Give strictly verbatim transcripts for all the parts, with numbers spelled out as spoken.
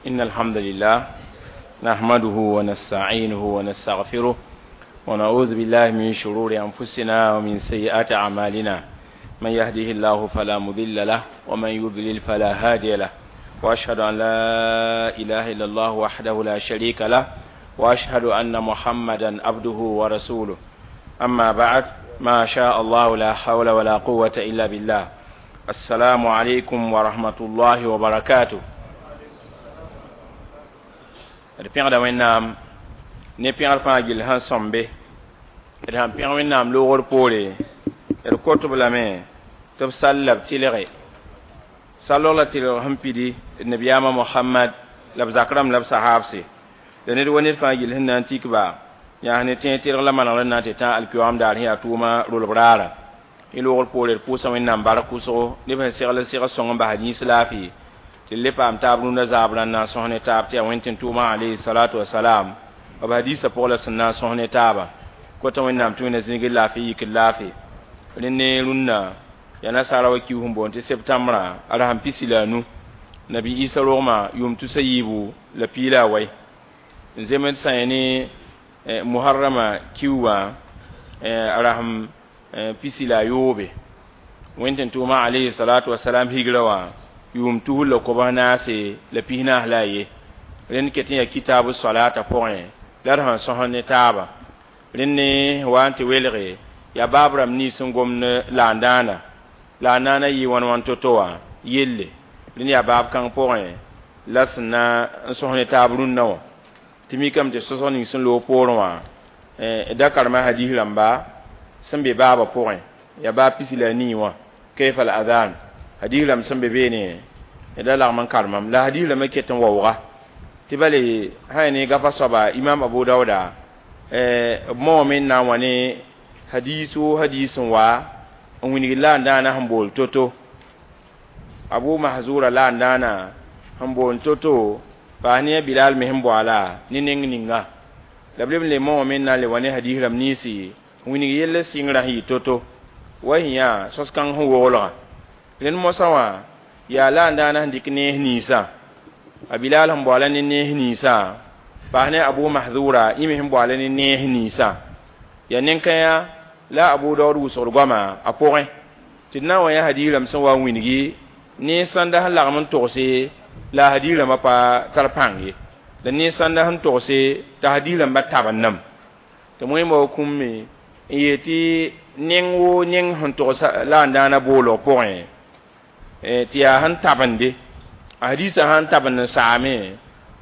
إن الحمد لله نحمده ونستعينه ونستغفره ونعوذ بالله من شرور أنفسنا ومن سيئات أعمالنا من يهده الله فلا مضل له ومن يضلل فلا هادي له وأشهد أن لا إله إلا الله وحده لا شريك له وأشهد أن محمدا عبده ورسوله أما بعد ما شاء الله لا حول ولا قوة إلا بالله السلام عليكم ورحمة الله وبركاته d pẽgda wẽnnaam ne pẽgr fãa gill sẽn sõmbe d sãn pẽg wẽnnaam loogr poore d kot-b lame tɩ b sall la b tɩlge sallg la tɩlg sẽn pidi d nabiyaamã mohamad la b zak rãmb la b sahaabse la ned wa ned fãa gill sẽn na n tik ba yaa ne tẽeg tɩlg la manegr n na n tɩ tã alkiyoam daar sẽn yaa tʋʋma rolb raara y loogr poore d pʋʋsa wẽnnaam bark wʋsgo neb sẽn segl segl sõng n bas yĩns laafɩ tɩ le paam taab rũndã zaab rãn na n sõs ne taab tɩ yaa wẽn tɩ tʋʋmã alayhi salatu wasalam b hadiisã pʋgã la sẽn na n sõs ne taabã kota wẽnnaam tɩ wẽnna zĩigr laafɩ yikr laafɩ rẽ ne rũnnã yaa nasaara wa kius n boond tɩ septãmbrã a rasem pisi la a nu nabi isa rogmã yʋʋm tusa yiibu la pii la a wai n zems sã yẽ ne muharrama kiu wã a rasem pisi la a yoobe wẽn tɩ tʋʋmã alayhi salatu wasalam higra wã yʋʋm tusr la kobs naase la pis naas la a ye rẽnd ket n yaa kitaabu salata pʋgẽ la d sẽn sõs ne taaba rẽnd ne wa n tɩ welge yaa baab rãmb nins n gomd laandãana laandãana yɩ wãn wãn to-to wã yelle rẽnd yaa baab kãng pʋgẽ la sẽn na n sõs ne taab rũnnã wã tɩ mikame tɩ sõsg ning sẽn loog poorẽ wã da karema hadis rãmba sẽn be baabã pʋgẽ yaa baab pisi la a nii wã kayfa al adhan hadis rãmb sẽn be beene da lagm n karemam la hadis rãmbã ket n waooga tɩ bale sã ya ne gafa soaba imam abu dauda b moome n na n wa ne hadis wo hadis n wa n wilg la n dãana sẽn bool to-to abu mahzura la n dãana sẽn boond to-to paas ne a bilal me sẽn boala ne neng ninga la b leb n le moome n na n le wa ne hadis rãmb ninsi n wilg yell sɩngrã sẽn yɩ to-to wa sẽn yaa sos-kãng sẽn woglgã rẽnd mosã wã yaa la n dãana sẽn dɩk nees ninsã a bilal sẽn boala ne nees ninsã paas ne abu mahzura yẽ me sẽn boala ne nees ninsã yaa nen-kãyã la abu daood wʋsgd goama a pʋgẽ tɩ d na n wa yã hadis rãmb sẽn wa n wilgi ne sãnda sẽn lagm n togse la a hadis rãmbã pa tar pãng ye la ne sãnda sẽn togse t'a hadis rãmbã tabendame tɩ wẽmba wa kũmme n yeel tɩ neng woo neng sẽn togs la n dãana boolg pʋgẽ tɩ yaa sẽn tabende a hadisã sãn tabend n saame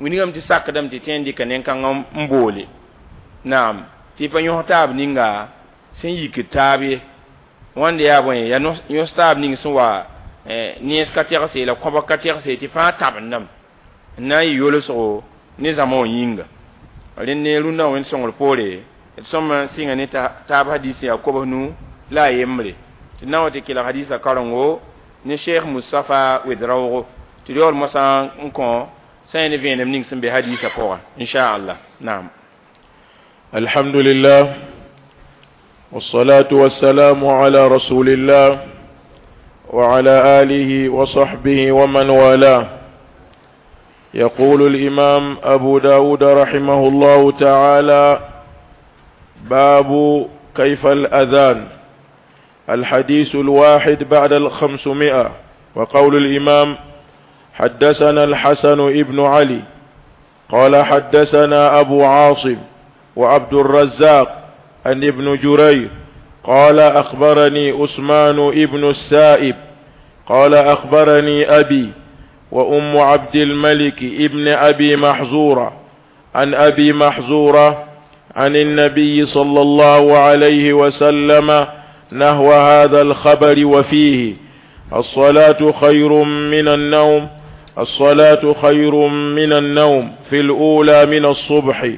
wilgame tɩ sakdame tɩ tõe n dɩka nen-kãng n boole naam tɩ pa yõs taab ninga sẽn yikd taab ye wãnda yaa bõe yaa yõs taab ning sẽn wa nens ka tɛgse la kõbg ka tɛgse tɩ fãa tabendame n na n yɩ yolsgo ne zãma wã yĩnga rẽnd ne rũndã wẽnd sõngr poore d sõma sɩnga ne taab hadis yaa kobs nu la a yembre tɩ na n wa tɩ kelg hadisã karengo ne cheikh mustafa wedraoogo tɩ yaool moasã n kõ sã yẽ ne vẽenem ning sẽn be hadisã pʋgã inchallah naam الحمد لله والصلاة والسلام على رسول الله وعلى آله وصحبه ومن والاه يقول الإمام أبو داود رحمه الله تعالى باب كيف الأذان الحديث الواحد بعد الخمسمائة وقول الإمام حدثنا الحسن ابن علي قال حدثنا أبو عاصم وعبد الرزاق عن ابن جرير قال أخبرني عثمان ابن السائب قال أخبرني أبي وأم عبد الملك ابن أبي محزورة عن أبي محزورة عن النبي صلى الله عليه وسلم نحو هذا الخبر وفيه الصلاة خير من النوم الصلاة خير من النوم في الأولى من الصبح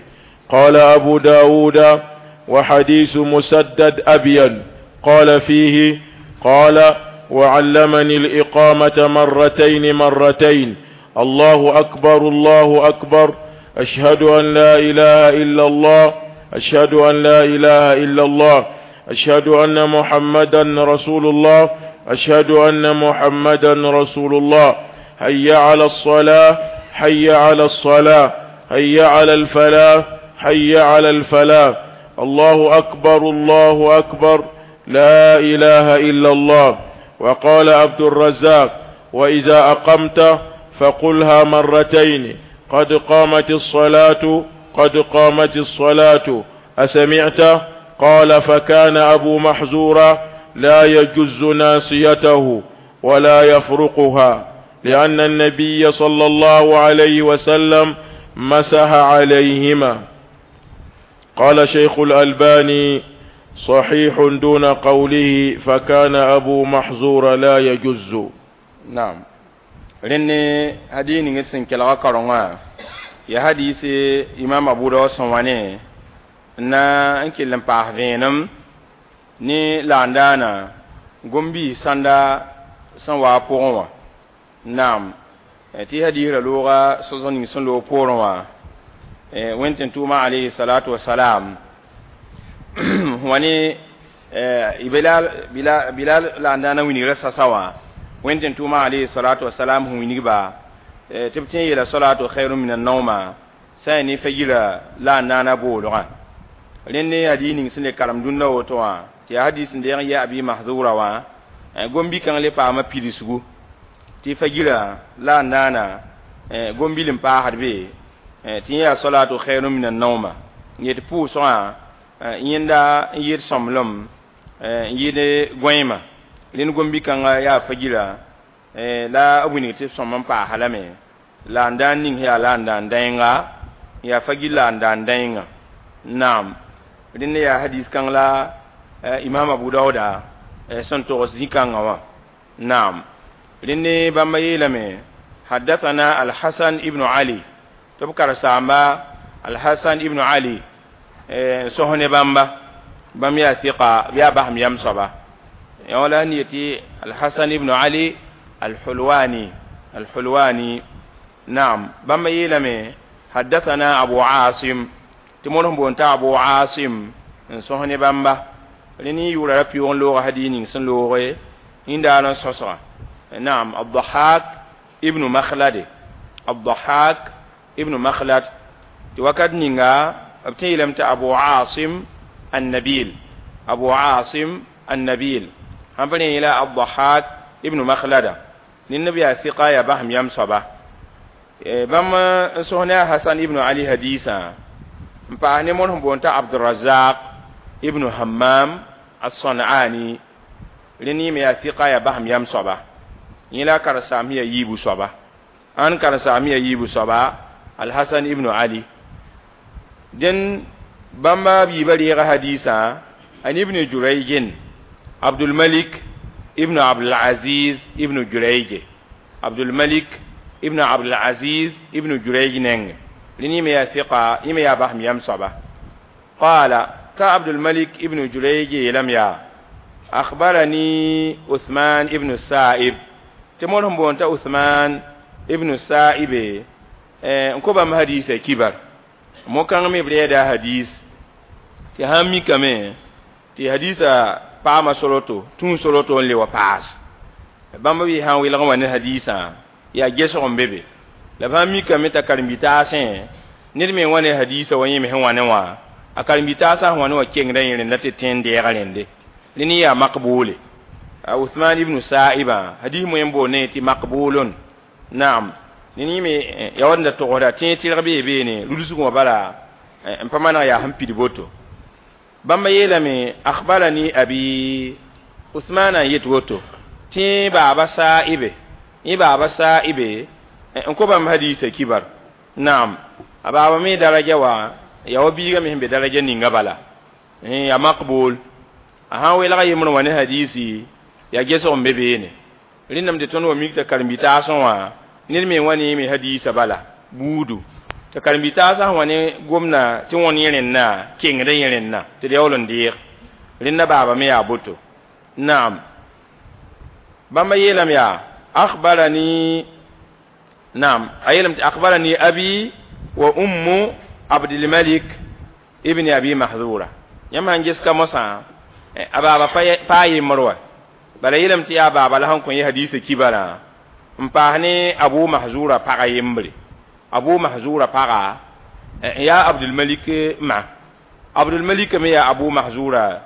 قال أبو داود وحديث مسدد أبين قال فيه قال وعلمني الإقامة مرتين مرتين الله أكبر الله أكبر أشهد أن لا إله إلا الله أشهد أن لا إله إلا الله أشهد أن محمدا رسول الله أشهد أن محمدا رسول الله حي على الصلاة حي على الصلاة حي على الفلاح حي على الفلاح الله أكبر الله أكبر لا إله إلا الله. وقال عبد الرزاق وإذا أقمت فقلها مرتين قد قامت الصلاة قد قامت الصلاة أسمعت؟ قال فكان أبو محزورة لا يجز ناصيته ولا يفرقها لأن النبي صلى الله عليه وسلم مسح عليهما. قال شيخ الألباني صحيح دون قوله فكان أبو محزور لا يجز. نعم رني هديني نسن كلا كرونga ya hadisi imam Abu Dawud sẽn na n kell n paas vẽenem ne laandaana gombi sãnda sẽn waa pʋgẽ wã naam tɩ hadiisrã looga sõsg ning sẽn loog poorẽ wã wẽnd tɩ tʋʋma alayhi salatu wasalam wã ne bilal bilal laandaana wilgrã sasa wã wẽnd tɩ tʋʋma alayhi salatu wasalam sẽn wilgba tɩ b tẽ yeela salatu khairun min an-nawma sã n ne fajira laandaana boolgã rẽnd ne hadis ning sẽn le karem dũnna woto wã tɩ yaa hadis n deeg n yɛ abi mahzura wã gombi-kãng le paama pidsgu tɩ fajira la n naana gombil n paasd be tɩ yẽ yaa salatu khairun min an-nawma yet pʋʋsgã yẽnda n yɩɩd sõmblem n yɩɩd gõeema rẽnd gombi-kãngã yaa fajira la b wilg tɩ sõm n paasa lame la n daan ning yaa la n daan dãenga yaa fajir la n daan dãenga naam rẽnd yaa hadis kãng la imam Abu Dawuda sẽn togs zĩ-kãngã wã naam rẽnd bãmba yeelame haddathana al-Hasan ibn Ali tɩ b karen-saamba al-Hasan ibn Ali n sõs ne bãmba bãmb yaa sɩka b yaa basem yam soaba yã la n yetɩ al-Hasan ibn Ali al-Hulwani al-Hulwani naam bãmba yeelame haddathana Abu Asim tɩ mõr sẽn boond t'a Abu Asim n sõs ne bãmba rẽnd yʋʋra ra pɩʋg n looga hadis ning sẽn looge yẽndaar n sõsga naam Ad-Dahhak ibn Makhlad Ad-Dahhak ibn Makhlad tɩ wakat ninga b tẽ yeelame tɩ Abu Asim an-Nabil Abu Asim an-Nabil sãn pa rẽ yeela Ad-Dahhak ibn Makhlada ned b yaa sɩka yaa basem yam soaba bãmb n sõs ne a Hasan ibn Ali hadiisã n paas ne mõr sẽn boond t'a Abdurazaq ibn Hammam as-San'ani rẽnd yẽ me yaa sɩka yaa basem yam soaba yẽ la a karen-saam yaa yiibu soaba ãn karen-saam yaa yiibu soaba Al-Hasan ibn Ali dẽn bãmba biibã reega hadiisã an ibn Jurayj Abdul Malik ibn Abdul Aziz ibn Jurayj Abdul Malik ibn Abdul Aziz ibn Jurayj neng rẽnd yẽ me yaa sɩka yẽ me yaa basem yam soaba qaala ka Abdul Malik ibn Jurayj yeelame yaa akhbarani Uthman ibn Sa'ib tɩ mõr sẽn boond t'a Uthman ibn Sa'ib n kõ bãmb hadiisã kibar mo-kãng me b reeda hadis tɩ sãn mikame tɩ hadiisã paama soroto tũu soroto n le wa paas bãmb b sã n welg n wa ne hadiisã yaa gesg n be be la b sãn mikame t'a karen-bi-taasẽ ned me n wa ne hadiisã wa yẽ me sẽn wa ne wã a karen-bi-taasã sẽn wa ne wã kengdã yẽ rẽnda tɩ tẽ n deega rẽnde rẽnd yaa makbuule Uthman ibn Sa'ibã hadis moẽ n boond ne tɩ makbulun naam ned yẽ me ya wa da togsda tẽeg tɩrg bee beene rulsg wã bala n pa maneg yaa sẽn pid boto bãmba yeelame akhbarani abi Uthman n yet woto tɩ baaba Sa'ibe yẽ baaba Sa'ibe n kõ bãmb hadiisã kibar naam a baaba me daraja wã yaa wa biigã me sẽn be daraja ninga bala yaa makbul a sãn welga yembr wã ne hadiisi yaa gesg n be beene rẽndame tɩ tõnd wa mik t'a karen-bi-taasẽ wã ned me wa ne me hadiisã bala buudu t'a karen-bi-taasã sẽn wa ne gomda tɩ wõn yẽ rẽnna kengdã yẽ rẽnna tɩ d yaool n deeg rẽnda baaba me yaa boto naam bãmba yeelame yaa akhbarani naam a yeelame tɩ akhbarani abi wa ummu Abdul Malik ibn Abi Mahzura yãmb sãn ges ka mosã a baaba pa yembr wa bala yeelame tɩ yaa baaba la sẽn kõ yẽ hadiisã kibarã n paas ne Abu Mahzura pagã yembre Abu Mahzura paga ya Abdul Malik ma Abdul Malik me ya Abu Mahzura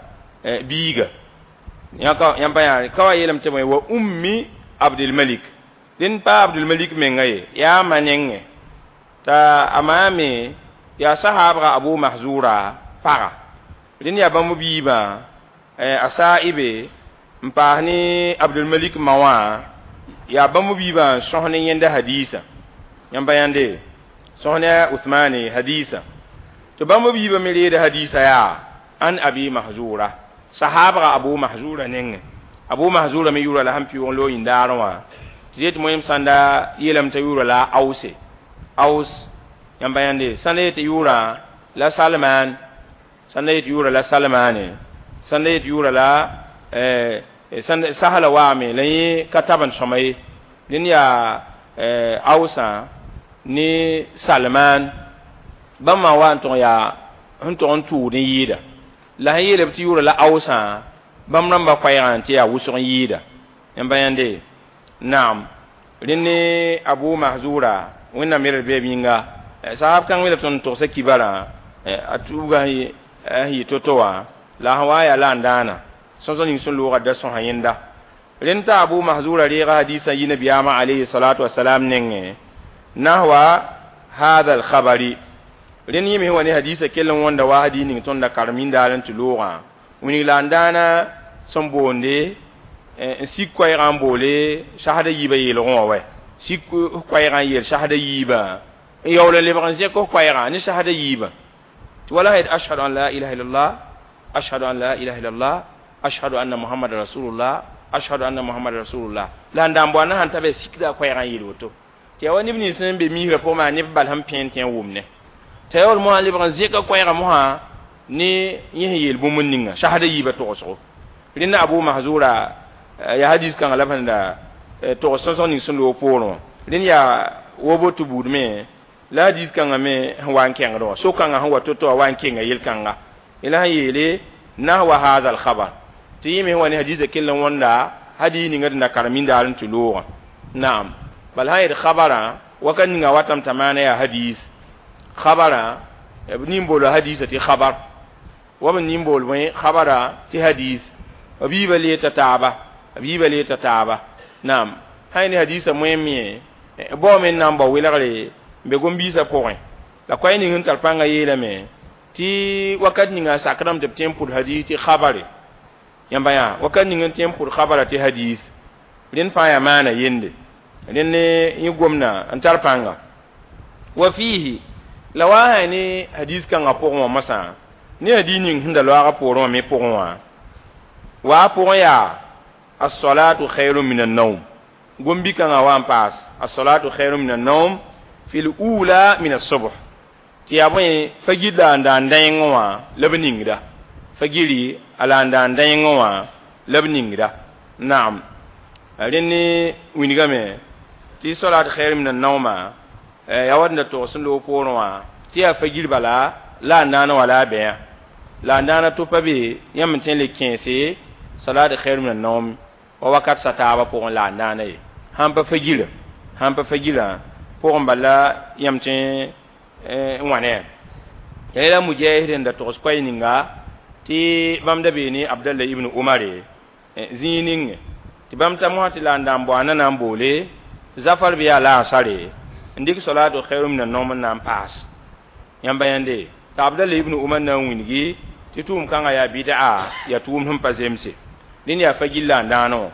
biiga yãka yãmba yaa ka wa yeelame tɩ wa ummi Abdul Malik dẽn pa Abdul Malik menga ye yaa ma nengẽ t'a a maa me yaa sahaabga Abu Mahzura paga rẽnd yaa bãmb biibã a saaibe n paas ne Abdul Malik ma wã yaa bãmb biibã n sõs ne yẽnda hadiisa yãmba yãnde sõs ne Uthmane hadiisa tɩ bãmb biibã me reeda hadiisa yaa an Abi Mahzura sahaabga Abu Mahzura nengẽ Abu Mahzura me yʋʋra la sẽn pɩʋʋg n loog yĩndaarẽ wã tɩ yet moẽm sãnda yeelame t'a yʋʋra la Ause Aus yãmba yãnde sãnda yetɩ yʋʋra la Salman sãnda yetɩ yʋʋra la Salmane sãnda yetɩ yʋʋra la sahla waame la yẽ ka tab n sõma ye dẽnd yaa Ausã ne Salman bãmb wa n tʋg yaa sẽn tʋg n tʋʋd n yɩɩda la sẽn yeelame tɩ yʋʋra la Ausã bãmb rãmbã koɛɛgã tɩ yaa wʋsg n yɩɩda yãmba yãnde naam rẽnd ne Abu Mahzura wẽnnaam yɛl b yĩnga sahab kãng me la tõnd togsa kibarã a tuuga sẽn yɩ to-to wã la sẽn wa yaa la n dãana sõsg ning sẽn loogã da sõsa yẽnda rẽnd t'a Abu Mahzura reega hadiisã yi nabiyaamã alayhi salatu wasalam nengẽ nahwa hadha alkhabari rẽnd yẽ me sẽn wa ne hadiisã kell n wõnda wa hadiis ning tõnd da karem yĩndaar n tɩ loogã wilg la n dãana sẽn boonde n sik koɛɛgã n boole sasda yiibã yeelgẽ wã wɛ sik koɛɛgã n yeel sasda yiibã n yaool n lebg n zẽk f koɛɛgã ne sasda yiibã tɩ wala sã yet ashhadu an la ilaha illallah ashhadu an la ilaha illallah ashhadu anna muhammad rasulullah ashhadu anna muhammad rasulullah la n dãn boana sãn ta bɩ sikda koɛɛgã n yeel woto tɩ yaa wa neb nins sẽn be misrã pʋgẽ maa neb bal sẽn pẽen tɩ n wʋmne t'a yaool mosã lebg n zẽka koɛɛgã mosã ne yẽ sẽn yeel bũmb ninga sasda yiibã togsgo rẽnda Abu Mahzura yaa hadis kãngã la b sẽn da togs sõsg ning sẽn loog poorẽ wã rẽnd yaa woboto buud me la hadis kãngã me sẽn wa n kẽngd wã so-kãngã sẽn wa to-to wã wa n kenga yel-kãnga la sẽn yeele nahwa hadha alkhabar tɩ yẽ me sẽn wa ne hadiisã kell n wõnda hadiis ninga d na karem yĩndaar n tɩ loogã naam bala sã yet khabarã wakat ninga watame t'a maana yaa hadiis khabarã b nin boola hadiisã tɩ khabar wa b nin bool bõe khabara tɩ hadiis b yiibã lee ta taaba b yiibã lee ta taaba naam sã ne hadiisã moẽm me baoome n na n bao welgre n be gom-biisã pʋgẽ la koɛɛ ning sẽn tar pãngã yeelame tɩ wakat ninga sakdame tɩ b tõe n pʋd hadiis tɩ khabare yãmba yaa wakat ning n tõe n pʋd khabara tɩ hadiis rẽnd fãa yaa maana yende rẽnd ne yẽ gomda n tar pãnga wa fiihi la wa sã ne hadiis kãngã pʋgẽ wã mosã ne hadiis ning sẽn da loaagã poorẽ wã me pʋgẽ wã wa a pʋgẽ yaa as-salatu khayrun min an-nawm gombi-kãngã wa n paas as-salatu khayrun min an-nawm fi l-ula min as-subh tɩ yaa bõe fagir la n daan dãengẽ wã la b ningda fagiri a la n daan dãengẽ wã la b ningda naam rẽnd ne wilgame tɩ salat khayrun min an-nawma yaa wat n da togs sẽn loog poorẽ wã tɩ yaa fagir bala la a naana wã la a bɛã la a naana to pa be yãmb n tõe n le kẽese salat khayrun min an-nawm wa wakat sa taabã pʋgẽ la a naana ye sãn pa fagira sãn pa fagira pʋgẽ bala yãmb tõe n wãne ya la Mujahid n da togs koɛɛ ninga tɩ bãmb da bee ne Abdallah ibn Umare zĩig ninge tɩ bãmb ta mosã tɩ la n daan boana na n boole zafar bɩ yaa la asare n dɩk salatu khayrun min an-nawm n na n paas yãmba yãnde t'a Abdallah ibn Umar na n wilgi tɩ tʋʋm kãngã yaa bɩd'a yaa tʋʋm sẽn pa zemse rẽnd yaa fagil la n dãanẽ wã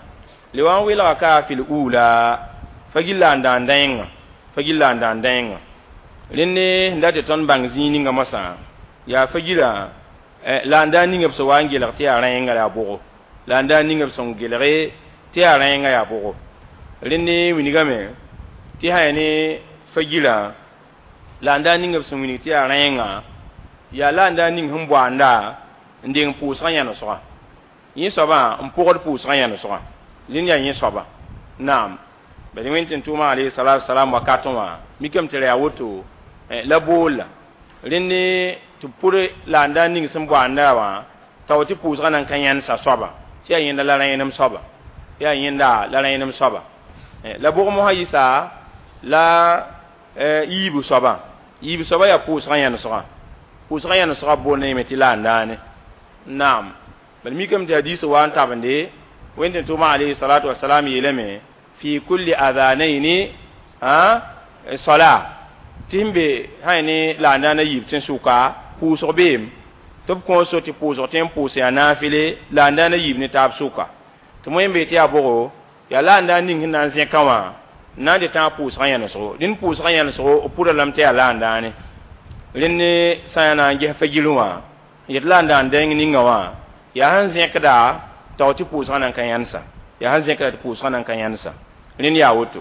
le wa n welga ka fil ula fagil la n daan dãengã fagil la n daan dãengã rẽnd ne sẽn dat tɩ tõnd bãng zĩig ninga mosã yaa fagira la n daan ninga b sẽn wa n gelg tɩ yaa rãenga yaa bʋgo la n daan ninga b sẽn gelge tɩ yaa rãenga yaa bʋgo rẽnd ne wilgame tɩ sã yaa ne fagira la n daan ninga b sẽn wilg tɩ yaa rãenga yaa la n daan ning sẽn boanda n deng pʋʋsgã yãnesgã yẽ soabã n pʋgd pʋʋsgã yãnesgã rẽnd yaa yẽ soaba naam bad wẽnd tɩ tʋʋmã alayhi salatu wasalam wakatẽ wã mikame tɩ ra yaa woto la boolla rẽnd ne tɩ pʋd la n daan ning sẽn boanda wã t'a wa tɩ pʋʋsgã nan ka yãnesa soaba tɩ yaa yẽnda la rẽenem soaba yaa yẽnda la rẽenem soaba la bʋg mosã yɩsa la yiibu soaba yiibu soaba yaa pʋʋsgã yãnesgã pʋʋsgã yãnesgã boond yẽme tɩ la n daane naam bal mikame tɩ hadiis wa n tabende wẽnd tʋʋma alayhi salatu wasalam yeelame fi kulli adhanaini a sala tɩ sẽn be sã ne la n daana yiib tẽn-sʋka pʋʋsg beem tɩ b kõos so tɩ pʋʋsg tẽ n pʋʋs yaa naafɩle la n daana yiib ne taab sʋka tɩ moẽ be tɩ yaa bʋgo yaa la n daan ning sẽn na n zẽka wã n na n dɩ tãag pʋʋsgã yãnesgo rẽnd pʋʋsgã yãnesgo b pʋda lame tɩ yaa la n daane rẽnd sã yaa na n ges fagil wã n yet la n daan dẽng ninga wã yaa sẽn zẽkda tao tɩ pʋʋsgã nan ka yãnesa yaa sẽn zẽkda tɩ pʋʋsgã nan ka yãnesa rẽnd yaa woto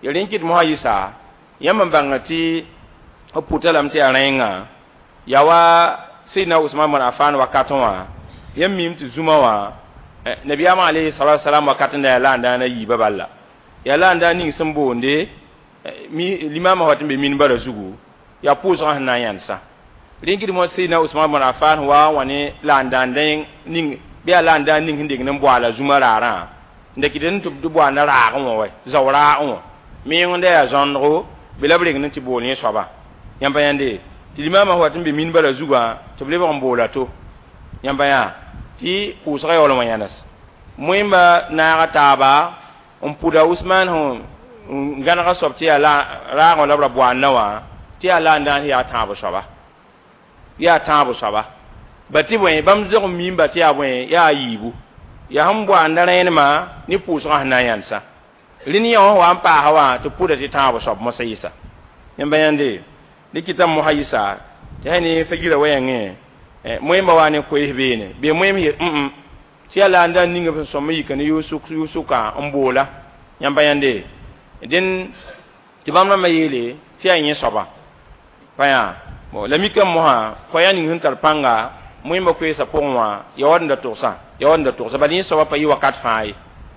ya rẽnd kɩt mosã yɩsa yãmb n bãnga tɩ b pʋta lame tɩ yaa rẽengã yaa wa Seydina Usman bn Affan wakatẽ wã yãmb miime tɩ zũma wã nabiyaamã alayhi salatu wasalam wakat n da yaa la n daana yiibã bala yaa la n daan ning sẽn boonde limaamã wa tɩ n be minbara zugu yaa pʋʋsgã sẽn na n yãnesa rẽnd kɩt mo Seydina Usman bn Affan wa n wa ne la n daan dẽng ning bɩ yaa la n daan ning sẽn deng n boaala zũma raarã n da kɩt n tɩ b boanda raagẽ wã wa zao raagẽ wã meng da yaa zõndgo be la b reng tɩ bool yẽ soaba yãmb pa yãnde tɩ limaamã wa tɩ n be minbara zugã tɩ b lebg n boola to yãmb pa yã tɩ pʋʋsgã yaool n wa yãnes moẽmba naaga taaba n pʋda Usman sẽn gãnega soab tɩ yaa raagẽ la b ra boanda wã tɩ yaa la n daan yaa tãabo soaba yaa tãabo soaba ba tɩ bõe bãmb zog n miimba tɩ yaa bõe yaa yiibu yaa sẽn boanda rẽenemã ne pʋʋsgã sẽn na n yãnesa rẽnd yã wã wa n paasa wã tɩ pʋda tɩ tãabo soab mosã yɩsa yãmba yãnde dɩ kɩtame mosã yɩsa tɩ sã ne fagira wa yãngẽ moẽmba wa ne koees beene bee moẽm yel mm tɩ yaa la n daan ninga sẽn sõm n yika ne yʋʋg-sʋka n boola yãmba yãnde dẽn tɩ bãmb rãmbã yeele tɩ yaa yẽ soaba pa yã bon la mikame mosã koɛɛg ning sẽn tar pãnga moẽmba koeesã pʋgẽ wã ya wa n da togsã ya wa n da togsa bala yẽ soaba pa yɩ wakat fãa ye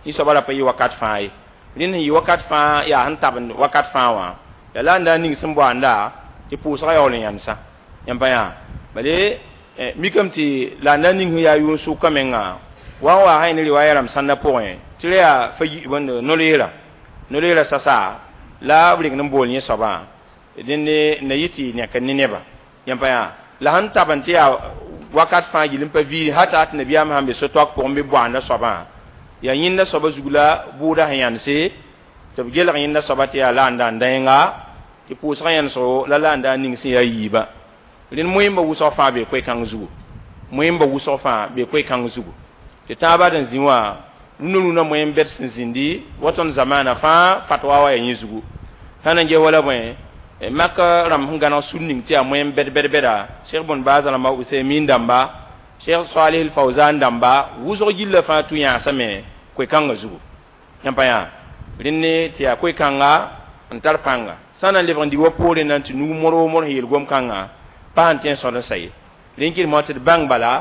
yẽ soaba ra pa yɩ wakat fãa ye rẽnd sẽn yɩ wakat fãa yaa sẽn tabend wakat fãa wã yaa la n daan ning sẽn boanda tɩ pʋʋsgã yaool n yãnesa yãmb pa yã bale mikame tɩ la n daan ning sẽn yaa yʋʋn-sʋka menga wa n waa sã ne riwaaya rãmb sãndã pʋgẽ tɩ ra yaa fa no-leera no-leera sasa la b reng n bool yẽ soabã dẽnd na yɩ tɩ nẽk ne nebã yãmb pa yã la sẽn tabend tɩ yaa wakat fãa gill n pa viiri hata tɩ nabiyaamã sãn be so-toak pʋgẽ bɩ boanda soabã yaa yẽnda soabã zug la bʋʋda sẽn yãnese tɩ b gelg yẽnda soaba tɩ yaa la n daan dẽnga tɩ pʋʋsgã yãnesgo la la n daan ning sẽn yaa yiibã rẽnd moẽmba wʋsg fãa bee koe-kãng zugu moẽmba wʋsg fãa bee koe-kãng zugu tɩ tãabã d n zĩ wã rũnã rũnã moẽm bɛd sẽn zĩndi wa tõnd zamaana fãa fatwa wa yaa yẽ zugu sã na n ges wala bõe maka rãmb sẽn gãneg sũr ning tɩ yaa moẽm bɛd bɛd bɛda Cheikh bun Baaz rãmba Usaymin dãmba Cheikh Salih al Fawzan dãmba wʋsg gilla fãa tũ yãasame koe-kãngã zugu yãmb pa yã rẽnd tɩ yaa koe-kãnga n tar pãnga sã na n lebg n dig wa poorẽ na n tɩ nug modg modg sẽn yeel gom-kãngã pa sẽn tõe n sõd n sa ye rẽnd kɩt mosã tɩ d bãng bala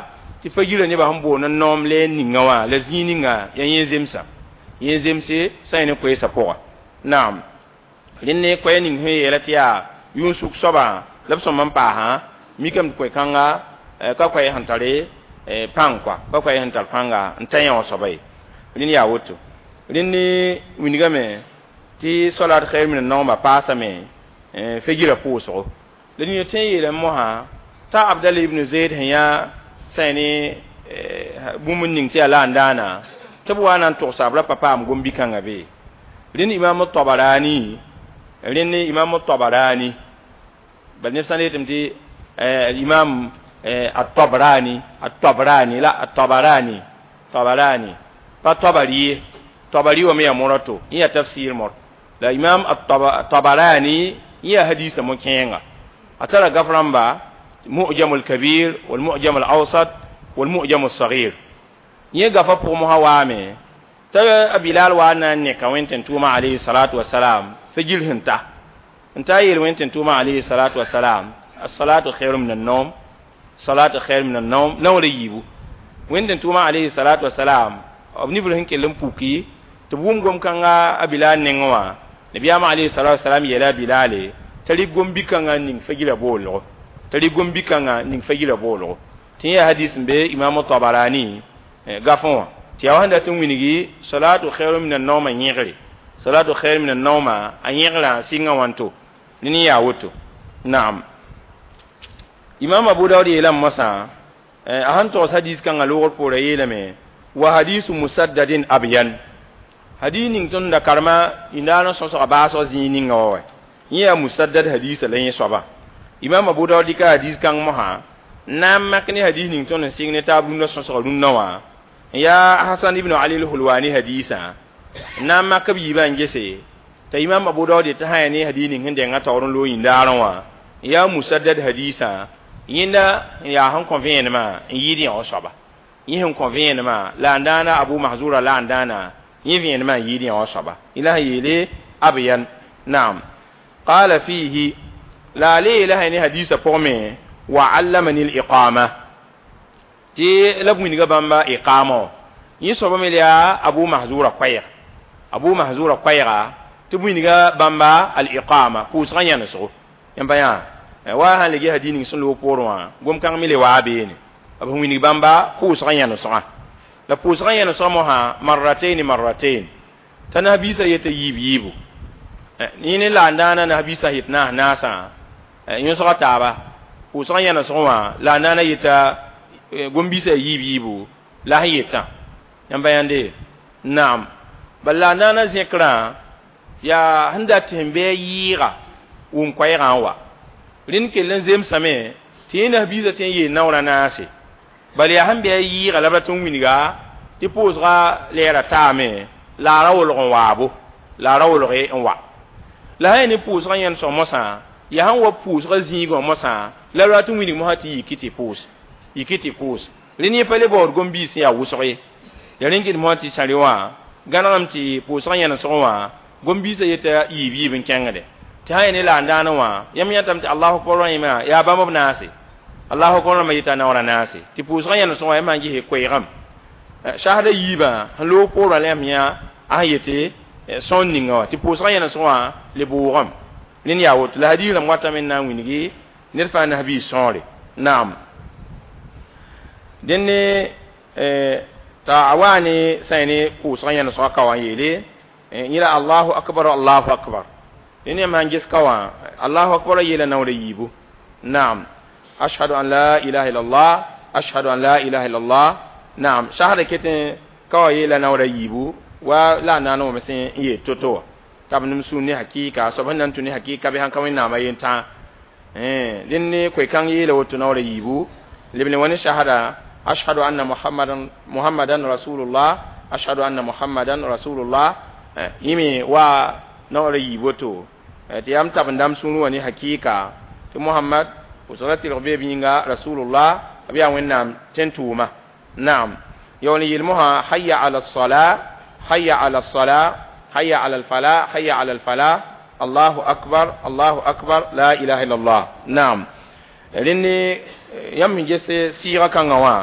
tɩ fa yirã nebã sẽn boond n noom le ninga wã la zĩig ninga yaa yẽ zemsã yẽ zemse sã yẽ ne koeesã pʋga naam rẽnd ne koɛɛ ning sẽn yeela tɩ yaa yʋʋn-sʋk soabã la b sõm n paasã mikame tɩ koe-kãnga ka koɛɛ sẽn tare pãng kɔa ka koɛɛ sẽn tar pãnga n ta yã wã soaba ye rẽnd yaa woto rẽnd ne wilgame tɩ solat khair min an-nawma paasame fagira pʋʋsgo la nina tõe n yeelame mosã t'a Abdallah ibn Zayd sẽn yaa sã ne bũmb n ning tɩ yaa la n daana tɩ b wa na n togsa b ra pa paam gom-bi-kãngã be rẽnd imam Tabarani rẽnd imam Tabarani bal neb sã n yetame tɩ imam at-Tabrani at-Tabrani la at-Tabarani Tabarani pa Tabari ye Tabari wa me yaa morato yẽ yaa tafsir mor la imam at-Tabarani yẽ yaa hadisa mo-kẽenga a tara gaf rãmba mu'jam al-kabir wal mu'jam al-awsat wal mu'jam al-saghir yẽ gafa pʋg mosã waame t'a Bilal wa na n neka wẽn-tẽn-tʋʋmã alayhi salatu wasalam fagil sẽn ta n ta yeel wẽn-tẽn-tʋʋmã alayhi salatu wasalam as-salatu khairun min an-nawm salatu khairun min an-nawm naoor yiibu wẽn-tẽn-tʋʋmã alayhi salatu wasalam b nibr sẽn kell n puki tɩ b wʋm gom-kãnga a Bilal nengẽ wã nabiyaamã alayhi salatu wasalam yeela a Bilale t'a rɩk gom-bi-kãngã n ning fagila boolgo t'a rɩk gom-bi-kãngã n ning fagila boolgo tɩ yẽ yaa hadis n be imam Tabarani gafẽ wã tɩ yaa wa sẽn dat n wilgi salatu khairun min an-nawma yẽgre salatu khairun min an-nawma a yẽgrã sɩngã wãnto Nini yaa woto. Naam. Imam Abu Dawud yeelame mosã a sẽn togs hadis kãngã loogr poorã yeelame wa hadisu musaddadin abyan hadis ning tõnd da karema yĩndaar n sõsga baasg zĩig ninga wa wa yẽ yaa musaddad hadisa la yẽ soaba Imam Abu Dawud dɩka hadis kãng mosã n na n mak ne hadis ning tõnd n sɩng ne taab rũndã sõsga rũndã wã n yaa Hasan ibn Ali al-Hulwani hadisã n na n mak b yiibã n gese t'a Imam Abu Dawud tɩ sã yaa ne hadis ning sẽn denga taoor n loog yĩndaarẽ wã n yaa musaddad hadisã yẽnda n yaa sẽn kõ vẽenemã n yɩɩd yã soaba yẽ sẽn kõ vẽenemã la n dãana Abu Mahzura la n dãana yẽ vẽenemã n yɩɩd yã soaba la sẽn yeele abyan naam qala fihi la le yeela sã ne hadisã pʋgme wa allamani al-iqama tɩ la b wilga bãmba iqama yẽ soaba me yaa Abu Mahzura koɛɛg Abu Mahzura koɛɛga tɩ b wilga bãmba al-iqama pʋʋsgã yãnesgo yãmba yã wa sãn le hadis ning sẽn loog poorẽ wã gom-kãng me le waa beene b sẽn wilg bãmba pʋʋsgã yãnesgã la pʋʋsgã yãnesgã mosã marratain marratain t'a nabiisã yeta yiib yiibu yẽ ne la n dãana nabiisã yet naas naasã yõsga taaba pʋʋsgã yãnesg wã la n dãana yeta gom-biisã yiib yiibu la sẽn yetã yãmba yãnde naam bala la n dãana zẽkrã yaa sẽn dat tɩ sẽn bɩ a yɩɩga wʋm koɛɛgã n wa rẽnd kell n zemsame tɩ yẽ nabiisã tɩ n yeel naoorã naase bala yaa sẽn bɩ a yɩɩga la b rat n wilga tɩ pʋʋsga lɛɛra taame la a ra wolg n waabo la a ra wolge n wa la sã yaa ne pʋʋsgã yẽnesg mosã yaa sẽn wa pʋʋsgã zĩigã mosã la b rat n wilg mosã tɩ yiki tɩ pʋʋs yiki tɩ pʋʋs rẽnd yẽ pa le baood gom-biis sẽn yaa wʋsg ye ya rẽn kɩd mosã tɩ sãre wã gãnegame tɩ pʋʋsgã yẽnesg wã gom-biisã yeta yiib yiib n kẽngde tɩ sã yaa ne la n dãanẽ wã yãmb yãtame tɩ Allahu akbar wã yẽma yaa bãmb b naase Allahu akbar rãmbã yeta naoorã naase tɩ pʋʋsgã yẽnesg wã yãmb sã n gese koeegame shahada yiibã sẽn loog poorã la yãmb yã a sẽn yete sõor ninga wã tɩ pʋʋsgã yẽnesg wã le bʋʋgame rẽnd yaa woto la hadiis rãmb watame n na n wilgi ned fãa nabiis sõore naam dẽnd ne t'a a waa ne sã ne pʋʋsgã yẽnesgã ka wã n yeele yẽla Allahu akbar Allahu akbar dẽnd yãmb sãn ges ka wã Allahu akbar yeela naoora yiibu naam ashhadu an la ilaha illallah ashhadu an la ilaha illallah naam shahada ket ka wã yeela naoora yiibu wa la n naana wame sẽn n yeel to-to wã t'a b nem sũur ne hakɩɩka soab sẽn na n tũ ne hakɩɩka bɩ sãn ka wẽnnaamã yentã dẽnd ne koe-kãng yeela woto naoora yiibu leb le wã ne shahada ashhadu anna muhammadan muhammadan rasulullah ashhadu anna muhammadan rasulullah yẽ me wa naoora yiib woto tɩ yaa m tab n dãmb sũur wã ne hakɩɩka tɩ Muhammad pʋʋsgrã tɩrg bee b yĩnga rasulullah b yaa wẽnnaam tẽn-tʋʋma naam yaool n yeel mosã hayya ala الصلاة hayya ala الصلاة hayya ala الفلاح hayya ala الفلاح Allahu akbar Allahu akbar la ilaha illallah naam rẽnd ne yãmb sẽn ges sɩɩgã kãngã wã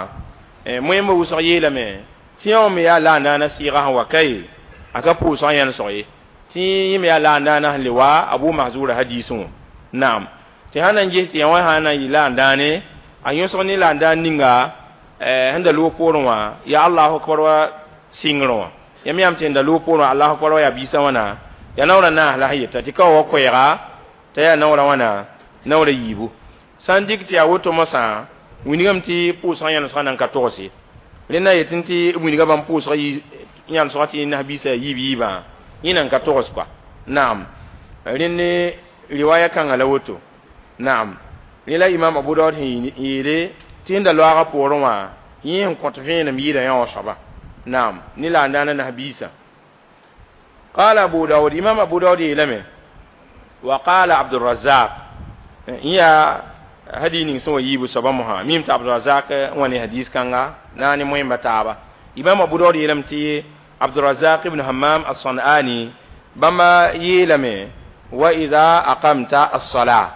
moẽmbã wʋsg yeelame tɩ yã wã me yaa la n daana sɩɩgã sẽn wa kae a ka pʋʋsgã yãnesg ye tɩ yẽ me yaa la n daana sẽn le wa Abu Mahzura hadisẽ wã naam tɩ sã na n ges tɩ yã wã sã na n yɩ la n dãane a yõsg ne la n dãan ninga sẽn da loog poorẽ wã yaa Allahu akbar wa sɩngrẽ wã yãmb yãmb tɩ n da loog poorẽ wã Allahu akbar wa yaa biisã wãna yaa naoorã naas la sẽn yeta tɩ ka wa koɛɛga t'a yaa naoorã wãna naoorã yiibu sã n dɩk tɩ yaa woto mosã wilgame tɩ pʋʋsgã yãnesgã nan ka togse rẽnd na yetẽ tɩ b wilga bãmb pʋʋsgã yãnesgã tɩ nabiisã yaa yiib yiibã yẽ nan ka togs kɔa naam rẽnd ne riwaya kãngã la woto naam rẽ la Imam Abu Dawud sẽn yeele tɩ sẽn da loaagã poorẽ wã yẽ sẽn kõt vẽenem yɩɩda yã wã soaba naam ne la n dãana nabiisã قال أبو داود إمام أبو داود يلمه وقال عبد الرزاق يا هدي ning sẽn wa yiibu soaba mosã mim tɩ Abdurazak wã ne hadis kãnga na ne moẽmba taaba Imam Abu Dawud yeelame tɩ Abdurazak ibn Hammam as-San'ani bãmba yeelame wa idha aqamta as-salah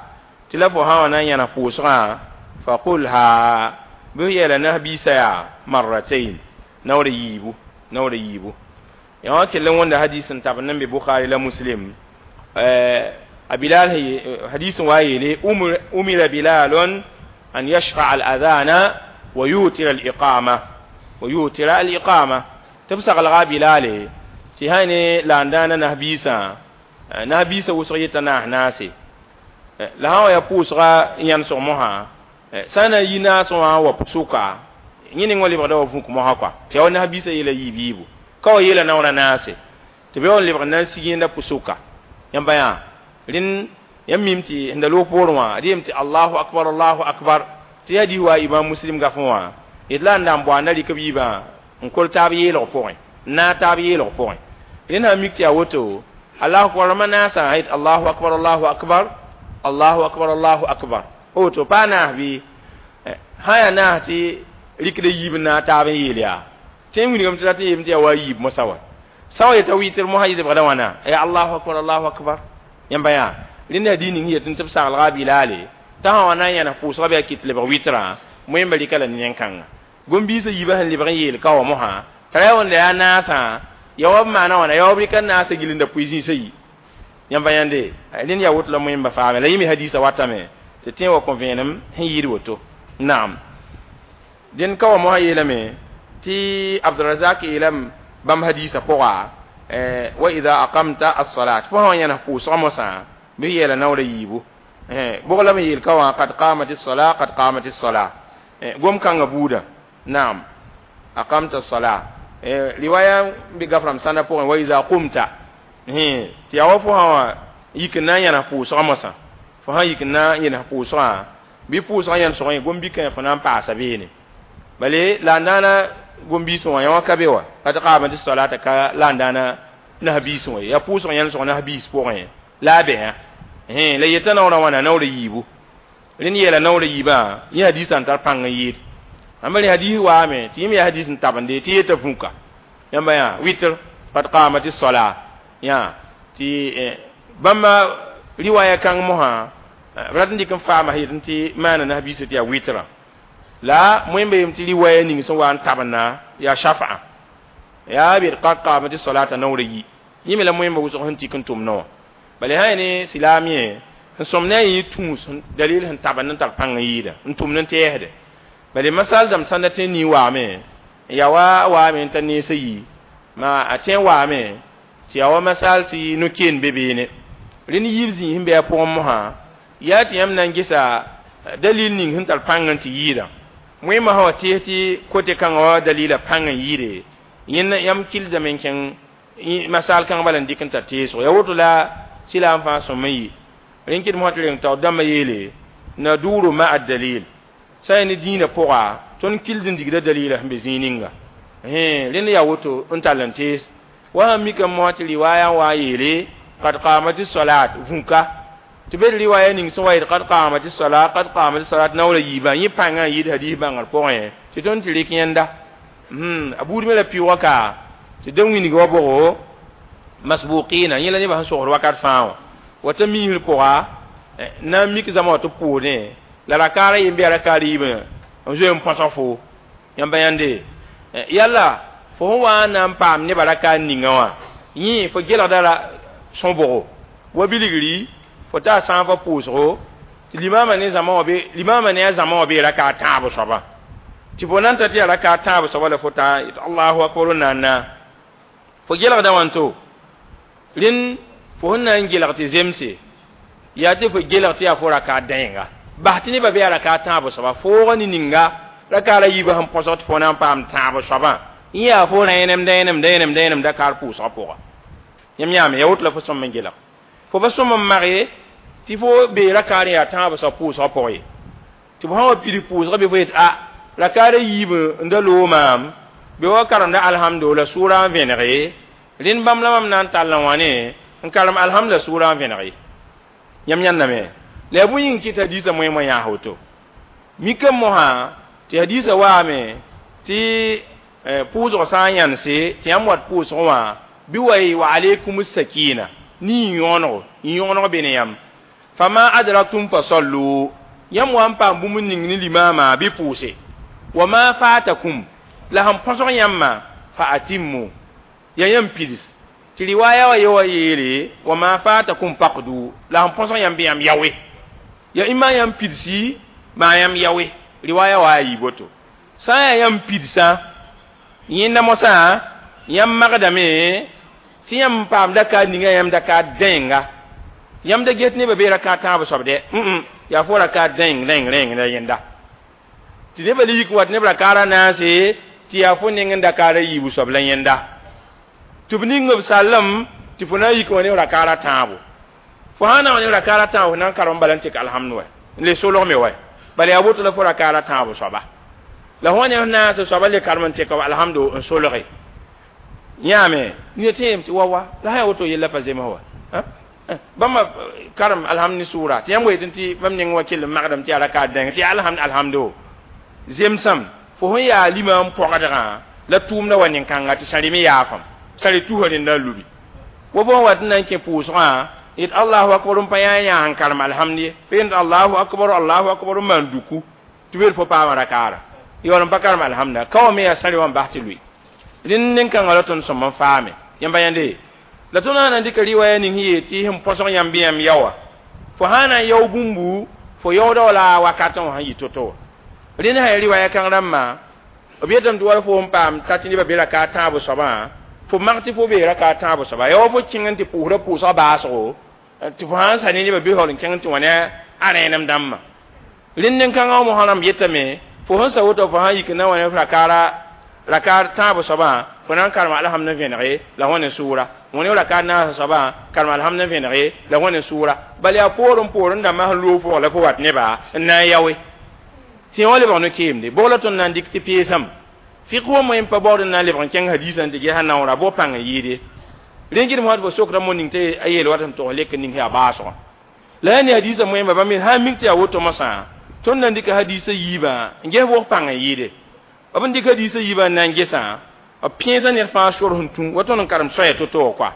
tɩ la fo sã wã na n yãna pʋʋsgã faqulha bɩ f yeela nabiisã yaa marratain naoora yiibu naoora yiibu yã wã kell n wõnda hadis n tab n be Bukhari la Muslim a Bilal hadis wa yeele umira Bilalun an yashfa'a al-adhana wa yutira al-iqama wa yutira al-iqama tɩ b saglga Bilale tɩ sã ne la n dãana nabiisã nabiisã wʋsg yeta naas naase La sã n wa yaa pʋʋsga yãnesg mosã sã n na n yi naasẽ wã wa sʋka yẽ ning wã lebgda wa vũk mosã kɔa tɩ yaa wa nas-biisã yeela yiib yiibu ka wa yeela naoorã naase tɩ b yaool n lebg n na n sig yẽnda pʋsʋka yãmba yã rẽnd yãmb mim tɩ sẽn da loog poorẽ wã d yeem tɩ allahu akbar allahu akbar tɩ yaa hadis wa imam muslim gafẽ wã d la n na n boanda rɩk b yiibã n kol taab yeelg pʋgẽ n naag taab yeelg pʋgẽ rẽnd sã n mik tɩ yaa woto allahu akbar rãmbã naasã yet allahu akbar allahu akbar allahu akbar allahu akbar woto pa naas bɩ sã yaa naas tɩ rɩkda yiib n naag taab n yeel yaa tẽ n wilgame tɩ rat n yeem tɩ yaa wa yiib mosã wa sã wa yeta wɩtr mosã yɩ wãna ya allahu akbar allahu akbar yãmba yaa rẽnd hadis ning yetɩ tɩ b saglga a bilaale t'a sã wa na n yãnes pʋʋsga bɩ a kɩt lebg wɩtrã moẽmba rɩka la ne nẽn-kãnga gom-biisã yiibã sẽn lebg n yeel ka wa mosã t'a ra wẽnda yaa naasã ya wa b maana wãna ya wa b rɩka naasã gilinda pʋɩ zĩisã yi yãmba yãnde rẽnd yaa woto la moẽmba faame la yẽ me hadisã watame tɩ tẽ wa kõ vẽenem sẽn yɩɩd woto naam dẽn ka wa mosã yeelame tɩ abdurazak yeelame bãmb hadisã pʋga wa ida aqamta as-salat fo sã wa yãnes pʋʋsga mosã bɩ yeela naoora yiibu bʋg la me yeel ka wã qad qamat as-salat qad qamat as-salat gom kãngã buudã naam aqamta as-salat riwaya bɩ gafram sãndã pʋgẽ wa ida qumta tɩ yaa wa fo sã wã yik n na n yãnes pʋʋsga mosã fo sã yik n na n yẽnes pʋʋsgã bɩ pʋʋsgã yãnesg yẽ gom-bikã fo na n paasa beene bale la n daana gom-biisẽ wã yã wã ka be wa qad qamat as-salat ka la n daana nas-biisẽ wã yaa pʋʋsg yãnesg nas-biis pʋgẽ la a bɛsã la yeta naoorã wãna naoorã yiibu rẽnd yeela naoorã yiibã yẽ hadisã n tar pãng n yɩɩd ãmba rẽ hadis waame tɩ yẽ me yaa hadis n tabende tɩ yeta vũka yãmba yã wɩtr qad qamat as-salat yã tɩ bãmba riwaya kãng mosã b rat n dɩk n faama yetɩ tɩ maana nas-biisã tɩ yaa wɩtrã la moẽmba yem tɩ riwaya ning sẽn wa n tabenda yaa shafa'a yaa b yet qad qamat as-salata naoorã yi yẽ me la moẽmba wʋsg sẽn tik n tʋm naowã bala sã yaa ne silaam yẽ sẽn sõm ne a yẽ tũus dalil sẽn tabend n tar pãng n yɩɩda n tʋmd n tɛɛsde bala masal dãmb sãn da tẽ nii waame n yaa wa waame n ta neesã yi ma a tẽ waame tɩ yaa wa masal tɩ no-keen be beene rẽnd yiib zĩig sẽn be a pʋgẽ mosã yaa tɩ yãmb na n gesa dalil ning sẽn tar pãng n tɩ yɩɩda wẽmã sã wa tees tɩ kote kãngã wa dalila pãng n yɩɩde yẽnd yãmb kildame n kẽng masal kãng bala n dɩk n tar teesgo yaa woto la silaam fãa sõm n yɩ rẽn kɩd mosã tɩ reng taoor dãmbã yeele naduru ma a dalil sã yaa ne dĩinã pʋga tõnd kild n digda dalila sẽn be zĩig ninga rẽnd yaa woto n tall n tees wa sãn mikame mosã tɩ riwaya n wa n yeele qad qamat as-salat vũka tɩ be riwaya ning sẽn wa yet qad qamat as-salat qad qamat as-salat naoorã yiibã yẽ pãngã n yɩɩd hadis bãngr pʋgẽ tɩ tõnd tɩ rɩk yẽnda a buud me la pɩʋga ka tɩ da wĩnig wa bʋgo masbuqina yẽ la nebã sẽn sogd wakat fãa wã wa t'a miisr pʋga na n mik zãma wa tɩ pʋʋdẽ la rakaara yem bɩ yaa rakaar yiibã n zoe n põsg fo yãmba yãnde yalla fo sẽn wa n na n paam nebã rakaar ninga wã yẽ fo gelgda sõbgo wa bilgri fo taa sãafã pʋʋsgo tɩ limaamã ne zãma wã be limaamã ne a zãma wã bee rakaar tãab soaba tɩ fo na n ta tɩ yaa rakaar tãab soaba la fo taa allahu akbar n na n na fo gelgda wãnto rẽnd fo sẽn na n gelg tɩ zemse yaa tɩ fo gelg tɩ yaa fo rakaar dãenga bas tɩ nebã be yaa rakaar tãab soaba foogã ne ninga rakaarã yiibã sẽn põsg tɩ fo na n paam tãab soabã yẽ yaa fo rẽenem dẽenem dẽenem dẽenem dakaar pʋʋsgã pʋga yãmb yãame yaa woto la fo sõm n gelg fo pa sõm n mage tɩ fo bee rakaar yaa tãab soab pʋʋsgã pʋgẽ ye tɩ fo sã wa pids pʋʋsgã bɩ fo yet a rakaarã yiib n da loog maam bɩ wa karemda alhamdo la sʋʋrã n vẽnege rẽnd bãmb la mam na n tall n wãne n karem alhamd la sʋʋrã n vẽnege yãmb yãndame la yaa bõe yĩng kɩt hadisã moẽmã yãas woto mikame mosã tɩ hadisã waame tɩ pʋʋsg sã n yãnse tɩ yãmb wat pʋʋsg wã bɩ wa yɩ wa alaykum sakina ne yõonego yõoneg be ne yãmb fama adraktum fa sallu yãmb wa n paam bũmb ning ne limaamã bɩ pʋʋse wa ma fatakum la sẽn põsg yãmbã fa atimmu ya yãmb pids tɩ riwaya wa ye wa yeele wa ma fatakum faqdu la sẽn põsg yãmb bɩ yãmb yaoe ya ĩma yãmb pidsi maa yãmb yaoe riwaya wa a yɩ boto sã n yaa yãmb pidsã yẽnda mosã yãmb magdame tɩ yãmb paam dakaar ninga yãmb dakaar dẽnga Yãmb da get nebã bee raka tãab soab dɛ yaa fo raka dẽng rẽng rẽng la yẽnda tɩ nebã le yik n wat neb rakaara naase tɩ yaa fo neng n da kaara yiibu soab la yẽnda tɩ b ning b sallem tɩ fo na n yik wã ne rakaara tãabo fo sã na n wa ne rakaara tãabo fo na n karem n bala n tek alhamdu wɛ n le solg me wɛ bala yaa woto la fo rakaara tãabo soaba la fo ne f naas soaba le karem n tek alhamdu n solge yãame ne tẽem tɩ wa wa la sã yaa woto yella pa zems wa bãmba karem alhamd ne sʋʋra tɩ yãmb yetẽ tɩ bãmb neng wa kell n magdame tɩ yaa rakaat dẽng tɩ alhamd alhamdo zemsam fo sẽn yaa lima n pɔgdgã la tʋʋmda wa nin-kãnga tɩ sãri me yaafam sãri tusa rẽnda n lubi wa bõn wat n na n kẽ pʋʋsgã yet allahu akbar n pa yã yã n karem alhamd ye pa yẽnd allahu akbar allahu akbar n maan duku tɩ beel fo paama rakaara yaool n pa karem alhamda ka wa me yaa sãri wã n bas tɩ lʋɩ rẽnd nin-kãngã la tõnd sõm n faame yãmba yãnde la tõnd sã na n dɩka riwaya ning sẽn yeel tɩ sẽn põsg yãmb bɩ yãmb yaoa fo sã na n yao bũmbu fo yaooda wala a wakatẽ wã sẽn yɩ to-to wa rẽnd sã ya riwaya kãng rãmbã b yetame tɩ wala fo n paam ta tɩ nebã be raka tãabo soabã fo mag tɩ fo bee raka tãabo soaba ya wa fo kẽng n tɩ pʋʋsda pʋʋsga baasgo tɩ fo sã n sa ne nebã bɩ yaool n kẽng tɩ wã ne a rẽenem dãmbã rẽnd nin-kãngã wã mosã rãmb yetame fo sẽn sa woto fo sã n yik n na wa ne rakaara rakaar tãabo soabã fo na n karema alhamd n vẽnege la wã ne sʋʋra wã ne rakaar naasã soabã karema alhamd n vẽnege la wã ne sʋʋra bala yaa poorẽ poorẽ dãmbã sẽn loog pʋgã la fo wat nebã n na n yaoe tɩ wã lebg no-keemde bʋg la tõnd na n dɩk tɩ peesame fiq wã moẽ pa baood n na n lebg n kẽng hadiisã n tɩ ges a naoora bʋg pãng n yɩɩde rẽ gɩdem wã tɩ fo sokda mo ning tɩ a yeel wat n togs lek n ning yaa baasgã la yaa ne hadiisã moẽmba bãmb sã n mik tɩ yaa woto mosã tõnd na n dɩka hadiisã yiibã n ges bʋg pãng n yɩɩde b n dɩk hadiisã yiibã n na n gesã b pẽesã ned fãa sor sẽn tũ wa tõnd n karem soaya to-to wã koa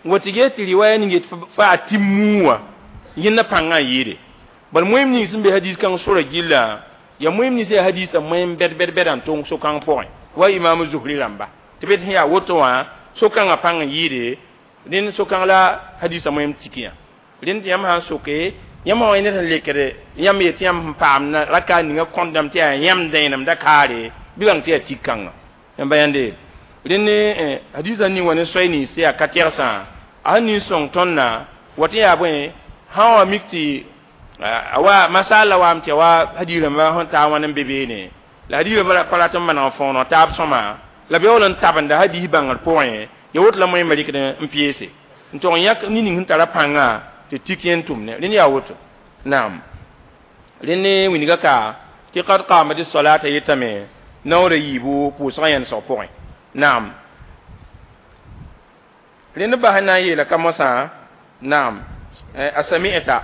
n wa tɩ ges tɩ riwaya ning yet fa a tɩ muu wã yẽnda pãngã n yɩɩde bal moẽm ning sẽn be hadiis kãng sora gilla ya moẽm nins yaa hadiisã moẽm bɛd bɛd bɛda n tong so-kãng pʋgẽ wa imam zuhri rãmba tɩ b sẽn yaa woto wã so-kãngã pãng n yɩɩde rẽnd so-kãng la hadiisã moẽm tikiyã rẽnd tɩ yãmb sã n soke yãmb wã ned sẽn lekd yãmb yet tɩ yãmb sẽn paam raka ninga kõndame tɩ yaa yãmb dẽenemda kaare bɩ bãng tɩ yaa tik kãnga yãmba yãnde rẽnd hadiisã ning wa ne soay nins yaa ka tɛgsã a sẽn ning sõng tõndã wa tɩ yaa bõe sã wa mik tɩ wa masala waam tɩ wa hadiis rãmbã sẽn taa wãn n be beene la hadiis rãmbã pa rat n maneg n fõoneg taab sõma la b yaool n tabenda hadiis bãngr pʋgẽ ya woto la moẽmã rɩkd n peese n tog n yãk ne ning sẽn tara pãngã tɩ tik yẽn tʋmne rẽnd yaa woto naam rẽnd ne wilga ka tɩ qad qamat salata yetame naoora yiibu pʋʋsgã yẽnsg pʋgẽ naam rẽnd bas n na n yeela ka mosã naam a sami'ta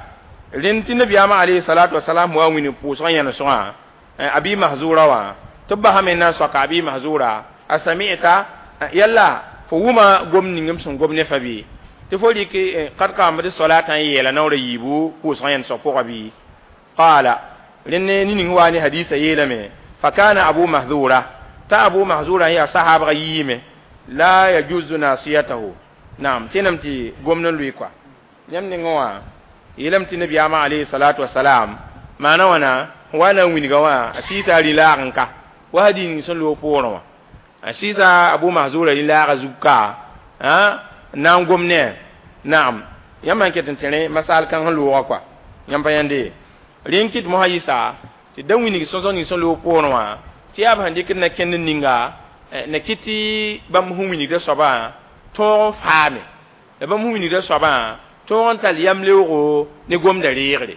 rẽnd tɩ nabiyaamã alayhi salatu wasalam wa wĩnig pʋʋsgã yẽnsgã abi mahzura wã tɩ b basame n na n soaka abi mahzura a sami'ta yalla fo wʋma gom ning m sẽn gom ne fa bɩ tɩ fo rɩk qad qamat salata n yeela naoora yiibu pʋʋsgã yẽnsg pʋgã bɩ qaala rẽnd ne ning wa ne hadiisã yeelame fakana abu mahzura ta abu mahzura ya sahabga yime la yajuzu nasiyatahu naam tẽnam tɩ gomd n lʋɩ kɔa yãmb nengẽ wã yeelame tɩ nabiyaamã alayhi salatu wasalam maana wãna wa na n wilga wã a sɩɩsa a rĩ-laag n ka wa hadiis ning sẽn loog poorẽ wã a sɩɩsa abu mahzura rĩ-laagã zug ka n na n gom ne naam yãmb sãn ket n tẽre masaal kãng sẽn loogã kɔa yãmb pa yãnde rẽn kɩt mosã yɩsa tɩ da wilg sõsg ning sẽn loog poorẽ wã tɩ yaa b sẽn dɩkd na kẽnd ninga na kɩt tɩ bãmb sẽn wilgda soabã tõog n faame la bãmb sẽn wilgda soabã tõog n tall yam leoogo ne gomda reegre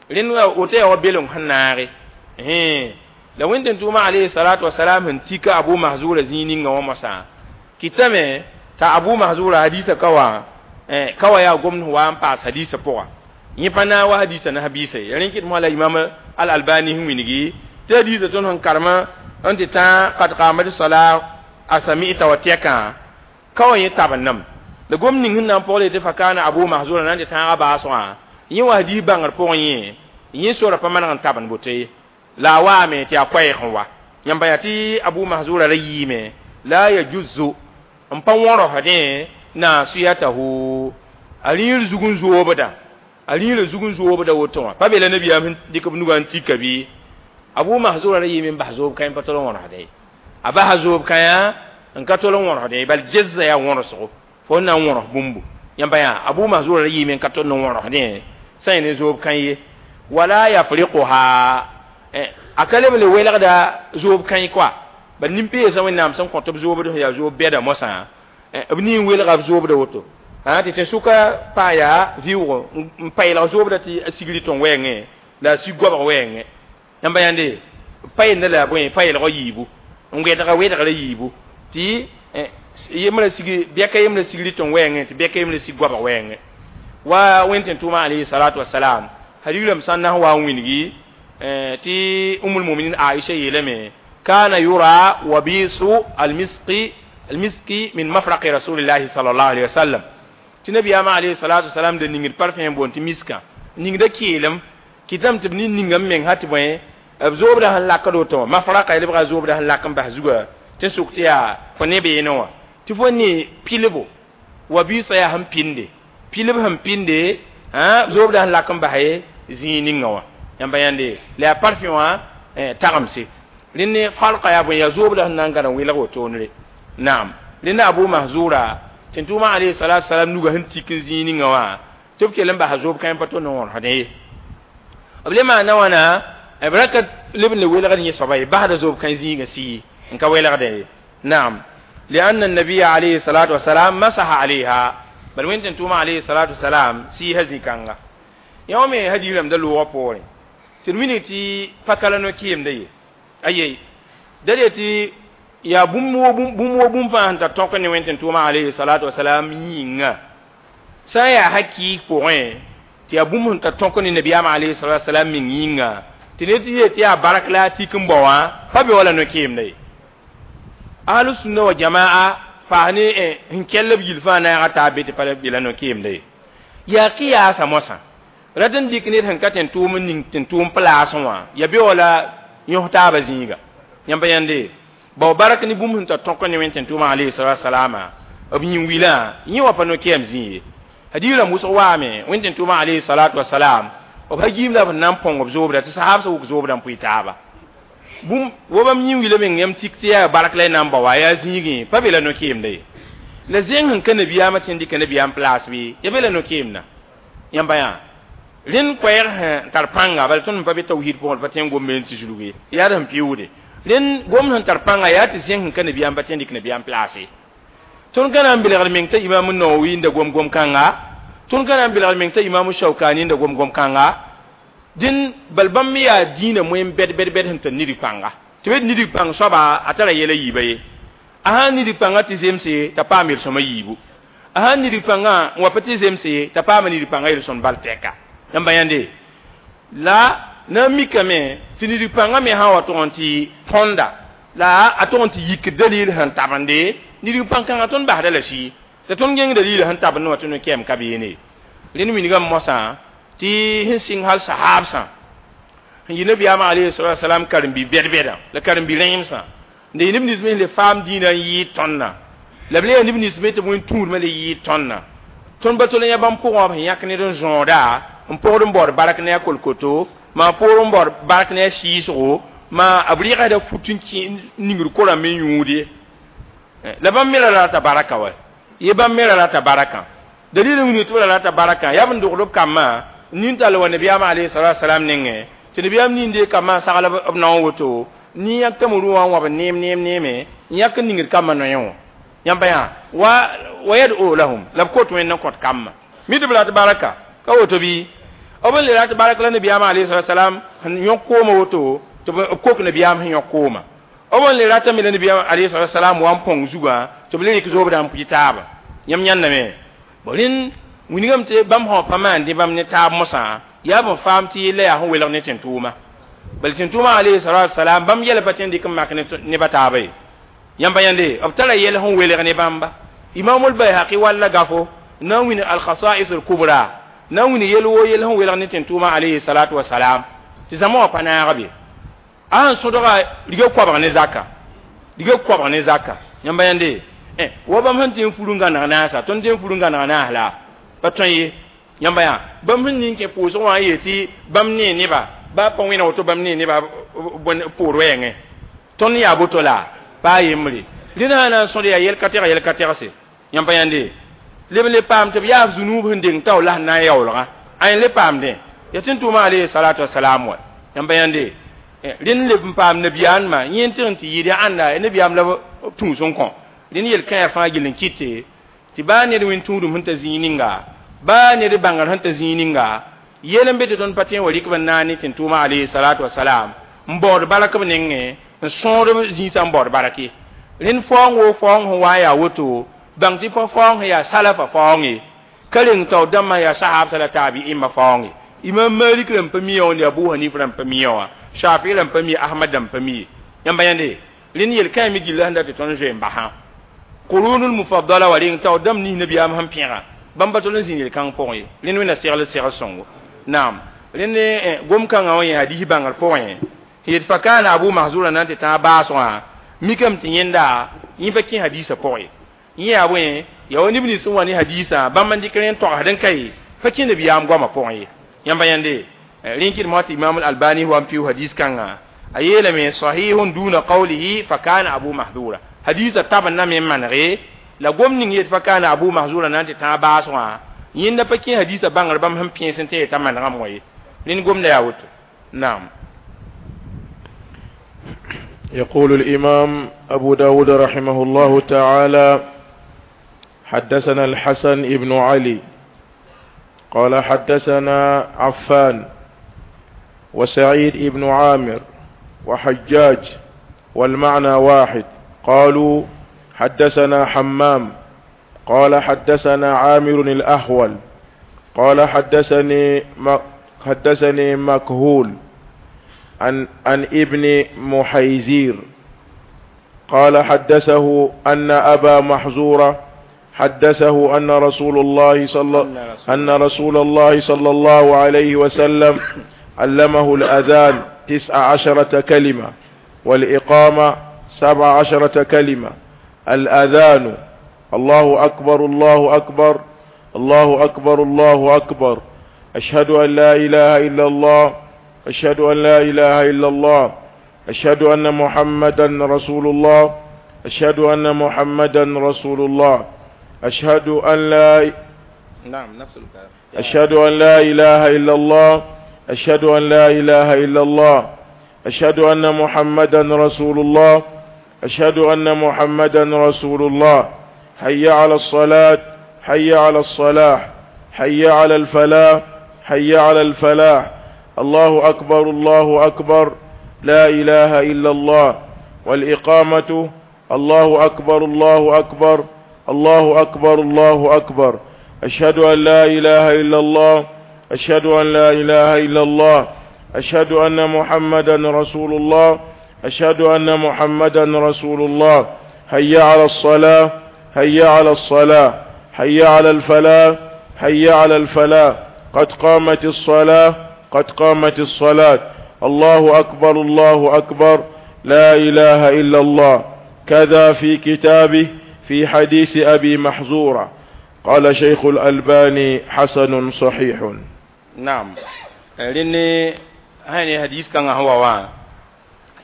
rẽnd woto yaa wa beleng sẽn naage la wẽnd tʋʋma alayhi salatu wasalam sẽn tika abu mahzura zĩig ninga wã mosã kɩtame t'a abu mahzura hadiisã ka wã ka wa yaa gomd sẽn wa n paas hadiisã pʋga yẽ pa naag wa hadiisã ne habiisa ye rẽn kɩt mosã la imam al albani sẽn wilgi tɩ hadiisã tõnd sẽn karema n tɩ tã qad qamat sala a sami'ta wa tɛkã ka wa yẽ tabendame la gom ning sẽn na n pʋgl tɩ fa kaana abu mahzura na n tɩ tãagã baasgã yẽ wa hadiis bãngr pʋgẽ yẽ yẽ sora pa maneg n tabend boto ye la a waame tɩ yaa koɛɛg n wa yãmba yaa tɩ abu mahzura ra yiime la yajuzu n pa wõrosdẽ nasiyatahu a rĩir zug n zoobda a rĩirã zug n zoobda woto wã pa be la nabiyaam sẽn dɩk b nugã n tika bɩ abu mahzura ra yiime n bas zoob kãe n pa tol n wõrosdẽ a basa zoob kãyã n ka tol n wõrosdẽ bal gezza yaa wõrosgo fo n na n wõros bũmbu Yãmba yaa Abu Mahzura yiime n ka tõnd n wõrgsdẽ sã yẽ ne zoob kãn ye wala yafriquha a ka leb n le welgda zoob kãe koa bal nin-peesã Wẽnnaam sẽn kõ tɩ b zoobd sẽn yaa zoob bɛda mosã b nin welga b zoobda woto tɩ tẽn-sʋka paa yaa vɩʋgo n paɩlg zoobda tɩ a sigri tõn wɛɛngẽ la a sig goabg wɛɛngẽ yãmba yãnde paɩenda la bõe paɩlgã yiibu n wɛdga wɛdgrã yiibu tɩ yembrã sigi bɛka yembrã sigri tõn wɛɛngẽ tɩ bɛka yembrã sig goabg wɛɛngẽ wa wẽnd tẽn tʋʋma alayhi salatu wasalam hadigrame sã n na n wa n wilgi tɩ umul muminin Aisha yeelame kana yura wabisu almiski almiski min mafraqi rasulillahi sallallahu alaihi wasallam tɩ nabiyaamã alayhi salatu wasalam da ningd parfum n boond tɩ miskã ningda keelem kɩtame tɩ b nin ninga m meng ha tɩ bõe b zoobda sẽn lakd woto mafraqa lebga zoobda sẽn lak n bas zuga tɩ sʋk tɩ yaa fo ne beene wã tɩ fo ne pilbo wabiisã yaa sẽn pinde pilb sẽn pinde zoobda sẽn lak n bas zĩig ninga wã yãmba yãnde la yaa parfum wã tagemse rẽnd farka yaa bõe yaa zoobda sẽn na n gãd n welg wotoonre naam rẽnd Abu Mahzura tɩ tʋʋma alayhi salatu wasalam nuga sẽn tik n zĩig ninga wã tɩ b kell n basa zoob kãe pa tõnd n wõrsdẽ ye b le maana wãna b ra ka leb n le welgd yẽ soaba ye basda zoob kãe zĩigã sii n ka welgdẽ ye naam لأن النبي عليه الصلاة والسلام مسح عليها بل وين تنتوما عليه الصلاة والسلام سي هزي كانغا يوم هدي لم دلو وپوري ترميني تي pakala no kiyem de aye dade ti ya bũmb wo bũmb wo bũmb fãa sẽn tar tõk ne wẽn tɩ tʋʋma alayhi salatu wasalam yĩnga sã n yaa hakɩɩg pʋgẽ tɩ yaa bũmb sẽn tar tõk ne nabiyaamã alayhi salatu wasalam meng yĩnga tɩ ned tɩ yeel tɩ yaa barak la a tik n bao wã pa be wala no-keemda ye ahlu sunna wa jamaa paas ne sẽn kell b yil fãa naagã taa be tɩ pa bela no-keemda ye yaa kɩyaasa moasã rat n dɩk ned sẽn ka tẽn tʋʋm n ning tẽn tʋʋm plaasẽ wã ya be wala yõs taabã zĩiga yãmba yãnde bao barak ne bũmb sẽn tar tõk ne wẽn tẽn tʋʋmã alayhi salatu wasalama b yĩn wilã yẽ wã pa no-kɛɛm zĩ ye hadiis rãmb wʋsg waame wẽn tẽn tʋʋmã alayhi salatu wasalam b ha giim la b na n põng b zoobda tɩ sahaab sã wʋk zoobda n pʋɩ taaba bũmb wa bãmb yĩn wila meng yãmb tik tɩ yaa barak la y na n bao wã yaa zĩigẽ pa be la no-keemda ye la zẽng sẽn ka nabiyaamã tɩ n dɩka nabiyaam place bɩ ya be la no-keemda yãmba yã rẽnd koɛɛg sẽn tar pãnga bala tõnd pa be tawhid pʋgẽ pa tõe n gombe n tɩ zulg ye yaa d sẽn pɩʋʋde rẽnd gomd sẽn tar pãnga yaa tɩ zẽng sẽn ka nabiyaam pa tõe n dɩk nabiyaam place tõnd ka na n belgd meng t'a imam Nawawi n da gom gom-kãnga tõnd ka na n belgd meng t'a imam Shaukani n da gom gom-kãnga dẽn bal bãmb me yaa dĩinã moen bɛd bɛd bɛd sẽn tar nidg pãnga tɩ be nidg pãng soaba a tara yɛla yiiba ye a sãn nidg pãngã tɩ zemse t'a paam yel-sõma yiibu a sãn nidg pãngã n wa pa tɩ zemse t'a paama nidg pãngã yel-sõmd bal tɛka yãmba yãnde la na n mikame tɩ nidg pãngã me sã n wa tʋg n tɩ tõnda la a tʋg n tɩ yik dalil sẽn tabende nidg pãn-kãngã tõnd basda la sɩ t'a tõnd gẽng dalil sẽn tabend wã tɩ no-kɛɛm ka beene rẽnd wilgame moasã tɩ sẽn sɩng hal sahaabsã sẽn yɩ nabiyaamã alayhi salatu wasalam karen-bi bɛd-bɛdã la karen-bi rẽemsã n yɩ neb nins me le faam dĩinã n yɩɩd tõndã la b le yaa neb nins me tɩ b wẽn tũudmã le yɩɩd tõndã tõnd pa tol n yã bãmb pʋgẽ b sẽn yãk ned n zõoda n pʋgd n baood bark ne a kolkoto maa poor n baood bark ne a sɩɩsgo maa b rɩgsda fut n kẽ ningr korã me yũud ye la bãmb me ra rata baraka wa ye bãmb me ra rata baraka dalil n wilg tɩ b ra rata baraka yaa b n dogd b kambã nin tall wa nabiyaamã alayhi salatu wasalam nengẽ tɩ nabiyaam nin dee kambã sagl b nao woto nin yãk tɩ rʋ wã n wab neem neem neeme n yãk n ningd kambã noyẽ wã yãmba yã wa wa yad'u lahum la b kot wẽnd n kõt kambã mi tɩ b rat baraka ka woto bɩ b n le rat barak la nabiyaamã alayhi salatu wasalam sẽn yõk koomã woto tɩ b kok nabiyaam sẽn yõk koomã b n le ratame la nabiyaam alayhi salatu wasalam wa n põng zugã tɩ b le rɩk zoobdã n pʋɩ taaba yãmb yãndame bo rẽnd wilgame tɩ bãmb sã pa maan dẽ bãmb ne taab mosã yaa b faam tɩ yella yaa sẽn welg ne tẽn-tʋʋma bal tẽn-tʋʋmã alayhi salatu wasalam bãmb yɛla pa tõe n dɩk n mak ne ba taaba ye yãmba yãnde b tara yɛl sẽn welg ne bãmba imamul bayhaqi walla gafo na n wĩn alkhasa'is alkubra na n wĩn yel woo yel sẽn welg ne tẽn-tʋʋmã alayhi salatu wasalam tɩ zãma wã pa naag be a sẽn sõdga riga koabg ne zaka riga koabg ne zaka yãmba yãnde wa bãmb sẽn tɩ n fur n gãneg naasa tõnd tɩ n fur n gãneg naas la pa tõe ye yãmba yã bãmb sẽn ning kẽ pʋʋsg wã n yeel tɩ bãmb nee neba baa pa wẽna woto bãmb nee neba poor wɛɛngẽ tõnd yaa boto la pa a yembre rẽnd sã na n sõd yaa yɛl ka tɛg yɛl ka tɛgse yãmba yãnde leb le paam tɩ b yaaf zũnuub sẽn deng tao la sẽn na n yaoolgã ãe le paamdẽ ya tɩ n tʋʋma alayhi salatu wasalam wa yãmba yãnde rẽnd leb n paam nabiyaanmã yẽ n tɩg n tɩ yɩɩd yaa ãnda nabiyaam la b tũus n kõ rẽnd yel-kãyã fãa gill n kɩte tɩ baa ned wẽn tũudum sẽn ta zĩig ninga baa ned bãngr sẽn ta zĩig ninga yel n be tɩ tõnd pa tõe n wa rɩk b n naag ne tɩ n tʋʋma alayhi salatu wasalam n baood bark b nengẽ n sõod b zĩisã n baood bark ye rẽnd faoong woo faoong sẽn wa n yaa woto bãng tɩ fa faoong sẽn yaa salafa faoong ye ka reng tao dãmbã yaa sahabsã la taabi'imã faoong ye imam malik rãmb pa mi wã ne abu hanifa rãmb pa mi wã shafi rãmb pa mi ahmad rãmb pa mi ye yãmba yãnde rẽnd yel-kãe me gilla sẽn dat tɩ tõnd zoe n basã qurunul mufaddala wa reng tao dãmb nins nabiyaam sẽn pẽga bãmb pa tol n zĩnd yel-kãng pʋgẽ ye rẽnd wẽnna segl segl sõngo naam rẽnd gom-kãngã wã yẽ hadis bãngr pʋgẽ yet fa kana abu mahzura na n tɩ tãag baasgã mikame tɩ yẽnda yẽ pa kẽ hadisã pʋgẽ yẽ yaa bõe yaa wa neb nins sẽn wa ne hadisã bãmb n dɩk rẽ n togsd n ka ye pa kẽ nabiyaam goamã pʋgẽ ye yãmba yãnde rẽn kɩdem tɩ imam albani wa n pɩʋ hadis kãngã a yeelame sahihun duna qawlihi fa kana abu mahzura hadisã tab n na me n manege la gom ning yet fa kana abu mahzura na n tɩ tãag baasgã yẽnda pa kẽ hadisã bãngr bãmb sẽn pẽes n tɩ t'a manegame wã ye rẽnd gomda yaa woto naam يقول الإمام أبو داود رحمه الله تعالى حدثنا الحسن ابن علي قال حدثنا عفان وسعيد ابن عامر وحجاج والمعنى واحد قالوا حدثنا حمام قال حدثنا عامر الأحول قال حدثني حدثني مكهول عن عن ابن محيزير قال حدثه أن أبا محزورة حدثه أن رسول الله صلى أن رسول الله صلى الله عليه وسلم علمه الأذان تسع عشرة كلمة والإقامة سبع عشرة كلمة الأذان الله أكبر الله أكبر الله أكبر الله أكبر أشهد أن لا إله إلا الله أشهد أن لا إله إلا الله أشهد أن محمدا رسول الله أشهد أن محمدا رسول الله أشهد أن لا نعم نفس الكلام أشهد أن لا إله إلا الله أشهد أن لا إله إلا الله أشهد أن محمدا رسول الله أشهد أن محمدا رسول الله حي على الصلاة حي على الصلاح حي على الفلاح حي على الفلاح الله أكبر الله أكبر لا إله إلا الله والإقامة الله أكبر الله أكبر الله أكبر الله أكبر أشهد أن لا إله إلا الله أشهد أن لا إله إلا الله أشهد أن محمدا رسول الله أشهد أن محمدا رسول الله هيا على الصلاة هيا على الصلاة حي على الفلاح حي على الفلاح قد قامت الصلاة قد قامت الصلاة الله أكبر الله أكبر لا إله إلا الله كذا في كتابه في حديث أبي محزورة قال شيخ الألباني حسن صحيح نعم rẽnd sã ne hadis kãngã sẽn wa wã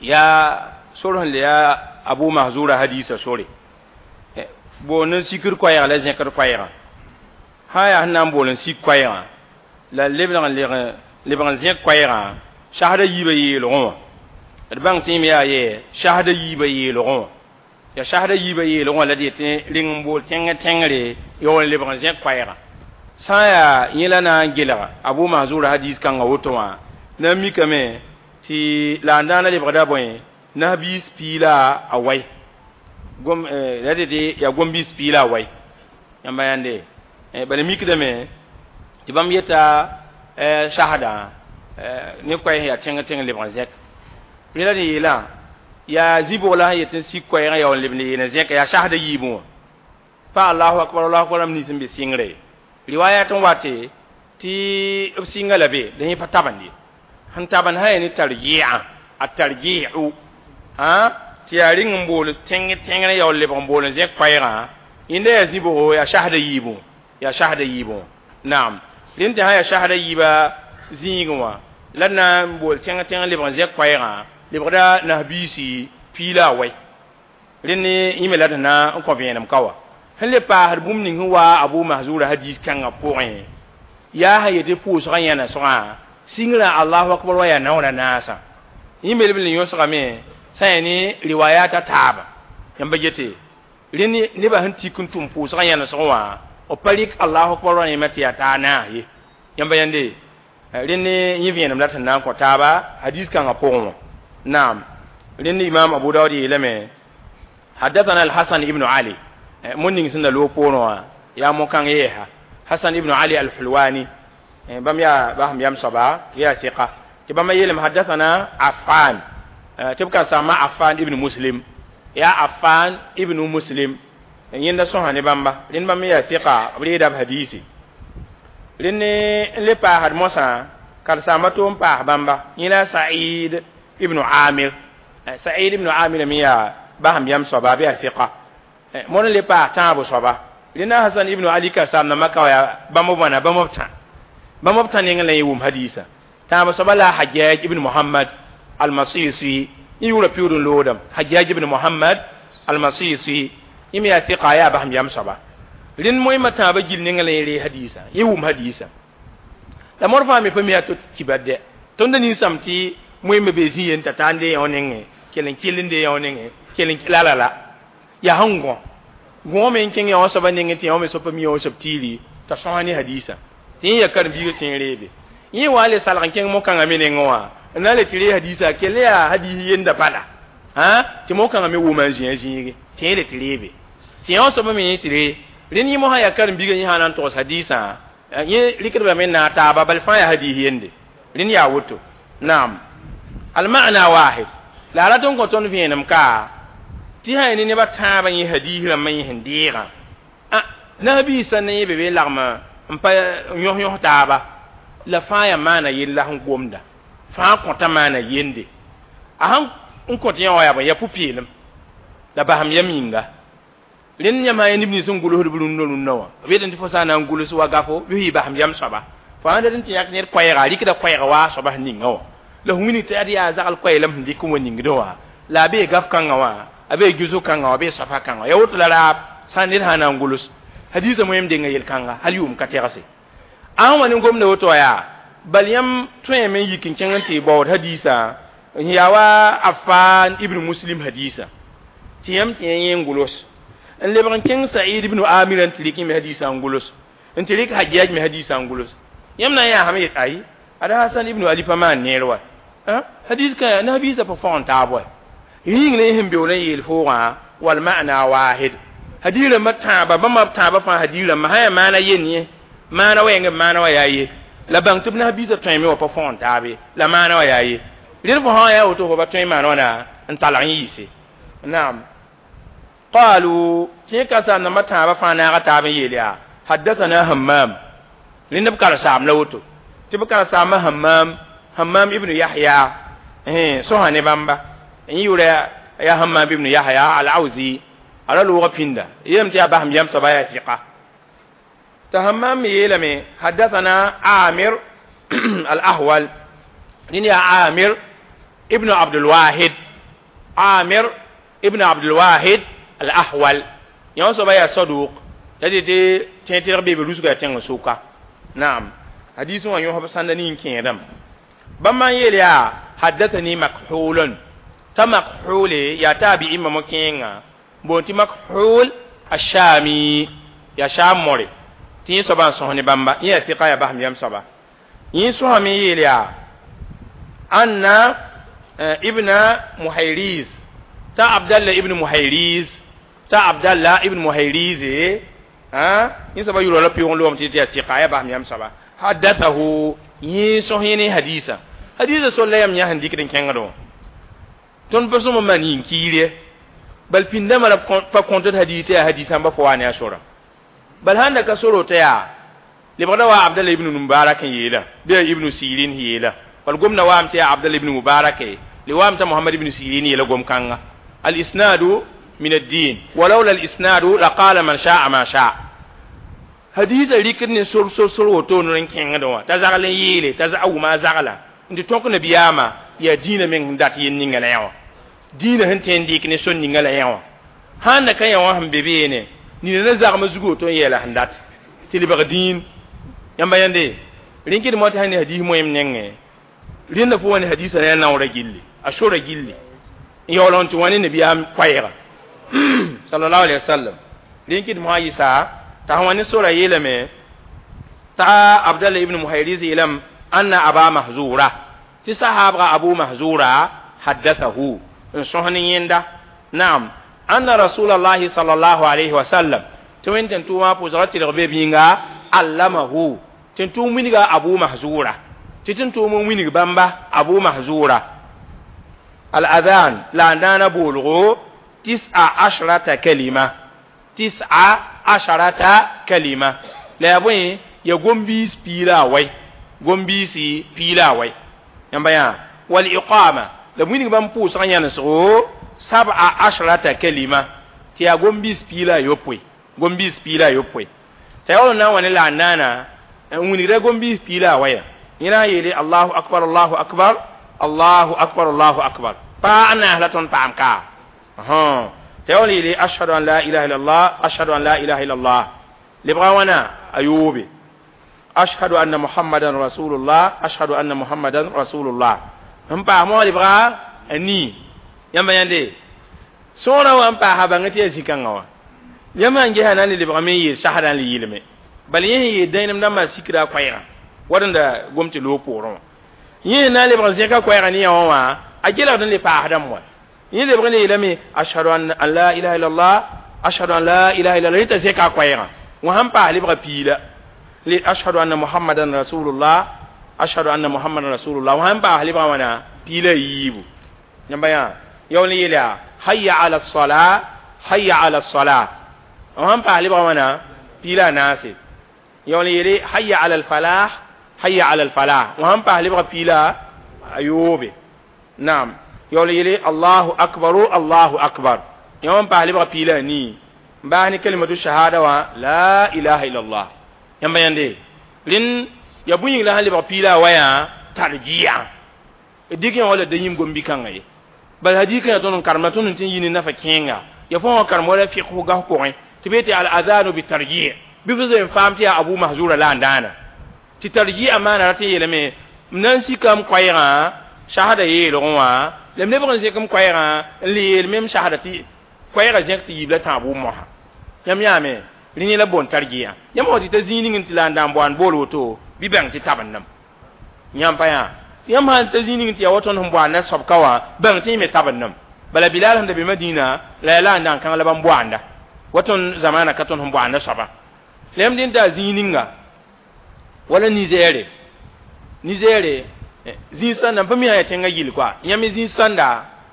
yaa sor sẽn le yaa abu mahzura hadisa sore boond n sikr koɛɛg la zẽkd koɛɛgã sã yaa sẽn na n bool n sik koɛɛgã la lebg n lebg n zẽk koɛɛgã sasda yiibã yeelgẽ wã d bãng tɩ yẽme yaa yɛ sasda yiibã yeelgẽ wã ya sasda yiibã yeelgẽ wã la d yetɩ reng n bool tẽng tẽngre yaool n lebg n zẽk koɛɛgã sã n yaa yẽ la na n gelga abu mahzura hadis kãngã woto wã na n mikame tɩ la n daana lebgda bõe nasbiis piila a wai gom la dede yaa gom-biis piila a wai yãmba yãnde bala mikdame tɩ bãmb yeta sasdã ne koɛɛs yaa tẽng tẽng lebg n zẽk rẽ la d yeelã yaa zibg la sẽn yet n sik koɛɛgã yaool n leb n yeel n zẽka yaa sasda yiibẽ wã pa allahu akbar allahu akbar rãmb nins n be sɩngre riwayat n wate tɩ b sɩnga la be la yẽ pa tabend ye sẽn tabend sã ya ne tarji'a a tarji'u ã tɩ yaa rɩng n bool tẽng tẽngr yaool lebg n bool n zẽk koɛɛgã yẽnda yaa zibgo yaa sasda yiibẽ yaa sasda yiibẽ naam rẽnd tɩ sã yaa sasda yiibã zĩigẽ wã la d na n bool tẽng tẽng lebg n zẽk koɛɛgã lebgda nasbiisi piila a wai rẽnd yẽ me la d na n kõ vẽenem ka wa Sẽn le paasd bũmb ning sẽn wa Abu Mahzura hadis kãngã pʋgẽ yaa sã yetɩ pʋʋsgã yãnesgã sɩngrã Allahu akbar wa yaa naoor a naasã yẽ me b le yõsgame sã yaa ne riwayat a taaba yãmba gete rẽnd nebã sẽn tik n tʋm pʋʋsgã yãnesg wã b pa rɩk Allahu akbar wã yẽma tɩ yaa taa naas ye yãmba yãnde rẽnd yẽ vẽenem la tɩ na n kõ taaba hadis kãngã pʋgẽ wã naam rẽnd imam Abu Dawud yeelame حدثنا الحسن ibn Ali mun ning sẽn da loog poorẽ wã yaa mo-kãng yeesa Hasan ibn Ali al-Hulwani bãmb yaa basem yam soaba yaa sɩka tɩ bãmba yeelame حدثنا Affan tɩ b ka sãama Affan ibn Muslim yaa Affan ibn Muslim yẽnda sõsa ne bãmba rẽnd bãmb yaa sɩka b reeda b hadiisi rẽnd n le paasd mosã karen-saamba to n paas bãmba yẽ la Sa'id ibn Amir Sa'id ibn Amir me yaa basem yam soaba b yaa sɩka mõr n le paas tãabo soaba rẽnda Hasan ibn Ali ka saam nambã ka yaa bãmb b wãna bãmb b tã bãmb b tã nengẽ la yẽ wʋm hadiisa tãab soaba la Hajjaj ibn Muhammad al-Masisi yẽ yʋʋra piʋʋd n loodame Hajjaj ibn Muhammad al-Masisi yẽ me yaa sɩka yaa basem yam soaba rẽnd moẽmã tãabã gil nengẽ la yẽ ree hadiisa yẽ wʋm hadiisa la mõr fãa me pa mi yaa to kibar dɛ tõnd da ninsãm tɩ moẽmã bee zĩ yen t'a taa n dee yõ nengẽ kell n kell n dee yõ nengẽ kell n la la la yaa sẽn gõ gõ me n kẽng yã soaba nengẽ tɩ yã me soab pa mi yã soab tiiri t'a sõsa ne hadiisa tɩ yẽ ya karen-biigã tɩ n reebe yẽ wa le salg n kẽng mo-kãngã me nengẽ wã n na n le tɩ ree hadiisa kell yaa hadiis yenda bala tɩ mo-kãngã me wʋma n zĩ a zĩige tɩ yẽ le tɩ reebe tɩ yã soaba me yẽ tɩ ree rẽnd yẽ mosã yaa karen-biigã yẽ sã na n togs hadiisã yẽ rɩkdbame n naag taaba bal fãa yaa hadiis yende rẽnd yaa woto naam alma'na wahid la a rat n kõ tõnd vẽenem ka tɩ sã ya ne nebã tãabã yẽ hadiis rãmbã yẽ sẽn deegã nabiisã ne yẽ be be lagm n pa yõs yõs taaba la fãa yaa maana yell la sẽn gomda fãa kõta maana yende a sãn n kõt yã wã yaa bõe yaa pʋ-peelem la basem yam yĩnga rẽnd yãmb sã yaa neb nins sẽn gʋlsd b rũndã rũndã wã b yetẽ tɩ fo sã n na n gʋls wa gafo bɩ f yɩ basem yam soaba fo sãn dat n tɩ yãk ned koɛɛga a rɩkda koɛɛga waa soaba sẽn ninga wã la f wilg tɩ ad yaa zagl koɛɛlem sẽn dɩk n wa ningdẽ wã la a bee gaf kãngã wã a bee gɩsg kãngã wã bee soafa kãngã wã yaa woto la raab sã ned sã na n gʋls hadiisã moẽm denga yel-kãnga hal yʋʋm ka tɛgse ãn wa ne gomda woto yaa bal yãmb tõeme n yik n kẽng n tɩ baood hadiisã n yaa wa Affan ibn Muslim hadiisa tɩ yãmb tɩ yẽ n gʋls n lebg n kẽng Sa'id ibn Amir n tɩ rɩk me hadiisã n gʋls n tɩ rɩk Hajjaj me hadiisã n gʋls yãmb na n yaa sãm yet ayi ada Hasan ibn Ali pa maan neer wa hadis ka nabiisã pa fõgen taab wa yĩng ne sẽn beool n yeel foogã wal ma'na wahid hadiis rãmbã tãaba bãmba b tãabã fãa hadiis rãmbã sã yaa maana yen yẽ maana wa yẽng maana wa yaa ye la bãng tɩ b nabiisã tõeme wã pa fõgen taabe la maana wa yaa ye rẽnd fo sã yaa woto fo pa tõe n maan wãna n talg n yiise naam qalu tɩ ka saam nambã tãabã fãa naaga taab n yeel yaa haddathana Hammam rẽnd b karen-saam la woto tɩ b karen-saambã Hammam Hammam ibn Yahya sõsa ne bãmba n yʋʋra yaa Hammam ibn Yahya al-Awzi ala loogã pĩnda yeelame tɩ yaa basem yam soaba yaa sɩka tɩ Hammam me yeelame haddathana Amir al-Ahwal rẽnd yaa Amir ibn Abdul Wahid Amir ibn Abdul Wahid al-Ahwal yã soaba yaa saduq la tɩ tɩ tẽeg bee be rusga tẽng sʋka naam hadiis wã yõsb sãnda ning kẽedame bãmba n yeel yaa haddathani Makhulun t'a Makhule yaa taabi'i mamo kẽenga boon tɩ Makhul ashami yaa sham more tɩ yẽ soaba n sõs ne bãmba yẽ yaa sɩka yaa basem yam soaba yẽ sõsame n yeel yaa anna ibna Muhayriz ta Abdallah ibn Muhayriz ta Abdallah ibn Muhayriz yẽ soaba yʋra la pɩʋg n loom tɩ tɩ yaa sɩka yaa basem yam soaba haddathahu yẽ sõs yẽ ne hadiisa hadiisa sol la yam yã sẽn dɩkd n kẽngd wã tõnd pa sõma maan yĩn kiir bal pĩndãmã la pa kõtd hadiis tɩ yaa hadiisãmba fo wa ne a sora bal sãn da ka soro tɩ yaa lebgda wa Abdallah ibn Mubarak n yeela bɩ ibn Sirin yeela bal gomda waam tɩ yaa Abdallah ibn Mubarak le waam t'a Muhammad ibn Sirin yeela gom-kãnga al-isnadu min ad-din walawla al-isnadu laqala man sha'a ma sha'a hadiisã rɩkd ne sor sor sor woto n kẽngd wã t'a zagl n yeele t'a a wʋma a zagla n tɩ tõk nabiyaamã yaa dĩinã meng sẽn dat yel ninga la yã wã dĩinã sẽn tõe n dɩk ne sor ninga la yã wã sãn da ka yã wã sẽn be beene Nina na zagm zugu woto n yeela sẽn dat tɩ lebg dĩin yãmba yãnde rẽn kɩd tɩ sã ne hadiis moẽm nengẽ rẽnda fo wa ne hadiisã ne a naoorã gilli a sora gilli n yaool n tɩ wã ne nabiyaam koɛɛga sallallahu alaihi wasallam rẽn kɩd mosã yɩsa t'a sẽn wa ne sora yeelame t'a abdallah ibn muhayriz yeelame anna aba mahzura tɩ sahaabga abu mahzura haddathahu n sõs ne yẽnda naam anna rasulallahi sallallahu alaihi wasallam tɩ wẽnd tẽn tʋʋmã pʋʋsgã tɩlg be bĩnga allamahu tẽn tʋʋm wilga abu mahzura tɩ tẽn tʋʋm n wilg bãmba abu mahzura al-adhan la n daana boolgo tis'a ashrata kalima tis'a asharata kalima la yaa bõe ya gom-biis piila a wai gom-biisi piila a wai yãmba yã wal iqama la wilg bãmb pʋʋsgã yãnesgo sab'a ashrata kalima tɩ yaa gom-biis piila a yopoe gom-biis piila a yopoe t'a yaool n na n wa ne la n naana n wilgda gom-biis piila a waya yẽ na n yeele allahu akbar allahu akbar allahu akbar allahu akbar pa a naas la tõnd paam ka t'a yaool yeele ashhadu an la ilaha illallah ashhadu an la ilaha illallah lebga wãna a yoobe ashhadu anna muhammadan rasulullah ashhadu anna muhammadan rasulullah n paas moa lebga a nii yãmba yãnde sõora wã n paasa bãng tɩ yaa zĩ-kãngã wã yãmb n gesa na n le lebgame n yeel sasdã n le yɩlme bala yẽ sẽn yeel dãenem dãmbã sikra a koɛɛgã wad n da gom tɩ loog poorẽ wã yẽ na n lebg n zẽka koɛɛgã ne yã wã wã a gelgd n le paasdame wa yẽ lebg n le yeelame ashhadu an la ilaha illallah ashhadu an la ilaha illallah rẽ t'a zẽka a koɛɛgã wã sãn paas lebga piila le ashhadu anna muhammadan rasulullah ashhadu anna muhammadan rasulullah wã sãn paas lebga wãna piila yiibu yãmba yã yaool n yeela hayya ala sala hayya ala sala wã sãn paas lebga wãna piila a naase yaool n yeele hayya ala alfalah hayya ala alfalah wã sãn paas lebga piila a yoobe naam yaool n yeele allahu akbaru allahu akbar yã wã n paas lebga piila a nii n baas ne kalimatu shahada wã la ilaha illallah yãmba yãnde rẽnd ya bũe yĩng la sãn lebg piila a wayã tarji'a dɩk yã wala da yĩm gom-bi-kãngã ye bala hadika ya tõnd n karem la tõnd n tɩ n yi ne nafa kẽenga ya fõ wã karem wala fiqh gas pʋgẽ tɩ be tɩ al adanu bi tarji' bɩ f zoe n faam tɩ yaa abu mahzura la n daana tɩ tarji'a maana rat n yeelame m na n sikam koɛɛgã shahada yeelgẽ wã la m lebg n zẽk m koɛɛgã n le yeel mem shahada tɩ koɛɛgã zẽk tɩ yiib la tãab wʋm-mosã yãmb yaame rẽ yẽ la boond tarji'a yãmb wã tɩ t'a zĩig ning tɩ la n daan boand bool woto bɩ bãng tɩ tab n nem yãmb pa yã yãmb sãn ta zĩig ning tɩ yaa wa tõnd sẽn boanda soabka wã bãng tɩ yẽ me tab n nem bala bilal sẽn da be madina la yaa la n daan kãng la bãmb boanda wa tõnd zamaana ka tõnd sẽn boanda soaba la yãmb dẽn t'a zĩig ninga wala nizɛɛre nizɛɛre zĩig sãnda n pa mi sã yaa tẽngã gill koa yãmb zĩig sãnda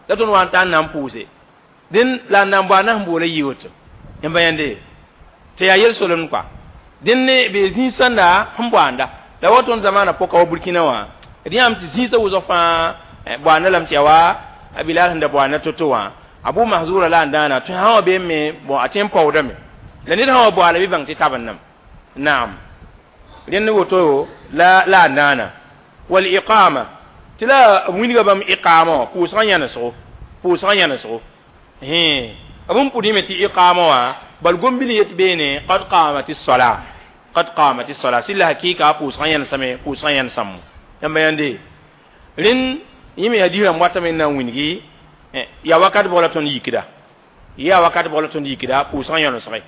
la tõnd wa n tar n na n pʋʋse dẽn la n na n boanda sẽn boola yɩ woto yãmba yãnde tɩ yaa yel-solemd koa dẽn ne be zĩig sãnda sẽn boanda la wa tõnd zamaana pʋka wa burkina wã d yãam tɩ zĩisã wʋsg fãa boanda lame tɩ yaa wa a bilal sẽn da boanda to-to wã abu mahzura la n dãana tɩ sã wã bee me bon a tõe n paoodame la ned sã wa boala bɩ bãng tɩ tab n nem naam rẽnd woto la la n dãana wal iqama tɩ la b wilga bãmb iqama wã pʋʋsgã yãnesgo pʋʋsgã yãnesgo b n pʋd yẽme tɩ iqama wã bal gom-bil yet beene qad qamat as-sala qad qamat as-sala sɩlla hakɩɩka pʋʋsgã yãnesame pʋʋsgã yãnesãmmo yãmba yãnde rẽnd yẽ me hadiis rãmb watame n na n wilgi yaa wakat bʋg la tõnd yikda yaa wakat bʋg la tõnd yikda pʋʋsgã yãnesge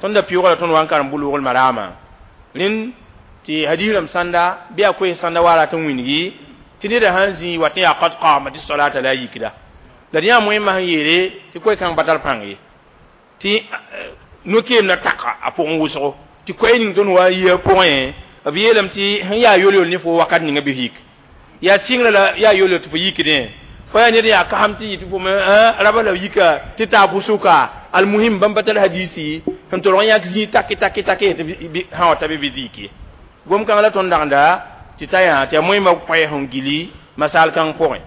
tõnd da pɩʋʋga la tõnd wa n karem bʋ-loogl maraamã rẽnd tɩ hadiis rãmb sãnda bɩ a koes sãnda wa rat n wilgi tɩ neda sãn zĩ wa tɩ yaa qad qamat as-salata la yikda la d yã moẽmã sẽn yeele tɩ koe-kãng pa tar pãng ye tɩ no-keem na taka a pʋgẽ wʋsgo tɩ koɛɛ ning tõnd wa n yi a pʋgẽ b yeelame tɩ sẽn yaa yol-yol ne fo wakat ninga bɩ f yik yaa sɩngrã la yaa yol-yol tɩ fo yikdẽ fo yaa ned yaa kasem tɩ yɩ tɩ fo raba la yika tɩ taa pʋsʋka almuhim bãmb pa tar hadisi sẽn tolg n yãk zĩig take take take tɩ sã wa ta bɩ bɩ dɩk ye gom-kãng la tõnd dagenda tɩ ta yã tɩ yaa moẽmã koɛɛ sẽn gili masal kãng pʋgẽ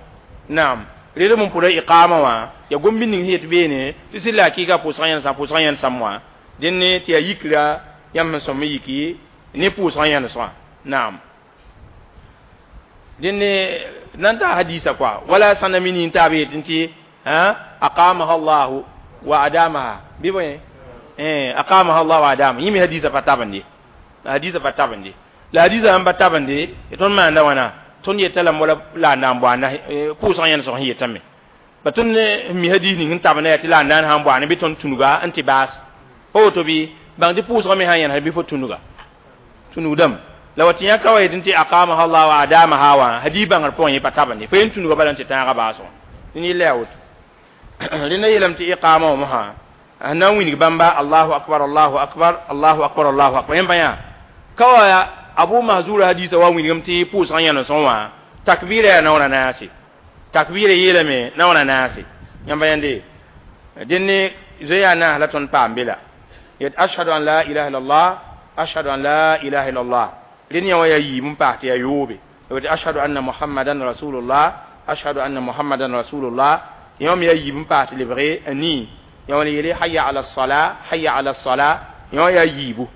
naam rɩdb n pʋda iqama wã yaa gom-bi ning sẽn yet beene tɩ sɩd la hakɩɩka pʋʋsgã yãnesã pʋʋsgã yãnesãm wã dẽn tɩ yaa yikra yãmb sẽn sõm n yiki ne pʋʋsgã yãnesgã naam dẽn nan ta hadisa quoi wala sãnda mi nin taab yetɩ tɩ aqamaha allahu wa adamaha bɩ bõe eh aqamaha Allah wa adama yimi hadisa pa tabande hadisa pa tabande la hadisa an ba tabande ton ma nda wana ton yetala mola la na mbo na pʋʋsg yẽn sog yetame ba tõnd mi hadis ning n tabna ya tɩ la n na n sãn bɔa ne bɩ tõnd tũnuga n tɩ baas pa woto bɩ bãng tɩ pʋʋsgã me sã n yẽns bɩ fo tũnuga tũnugdame la wa tɩ yã ka wa yetɩ tɩ aqamaha Allah wa adamaha wã hadis bãngr pʋgẽ yẽ pa tabende fo yen tũnuga bala n tɩ tãagã baasgã ne yella yaa woto rẽnda yeelame tɩ iqama wã mosã sẽn na n wilg bãmba allahu akbar allahu akbar allahu akbar allahu akbar yẽmba yã ka wa abu mahzura hadisa wa wilgame tɩ pʋʋsgã yẽnesẽ wã takbira yaa naoor a naase takbira yeelame naoor a naase yãmba yãnde dẽnne zoe yaa naas la tõnd paam be la yet ashhadu an la ilaha illallah ashhadu an la ilaha illallah rẽnd yã wã yaa yiib n paas tɩ yaa yoobe tɩ ashhadu anna muhammadan rasulullah ashhadu anna muhammadan rasulullah yã me yaa yiib n paas tɩ lebge a nii yã wã yeele hayya ala sala hayya ala sala yã wã yaa yiibu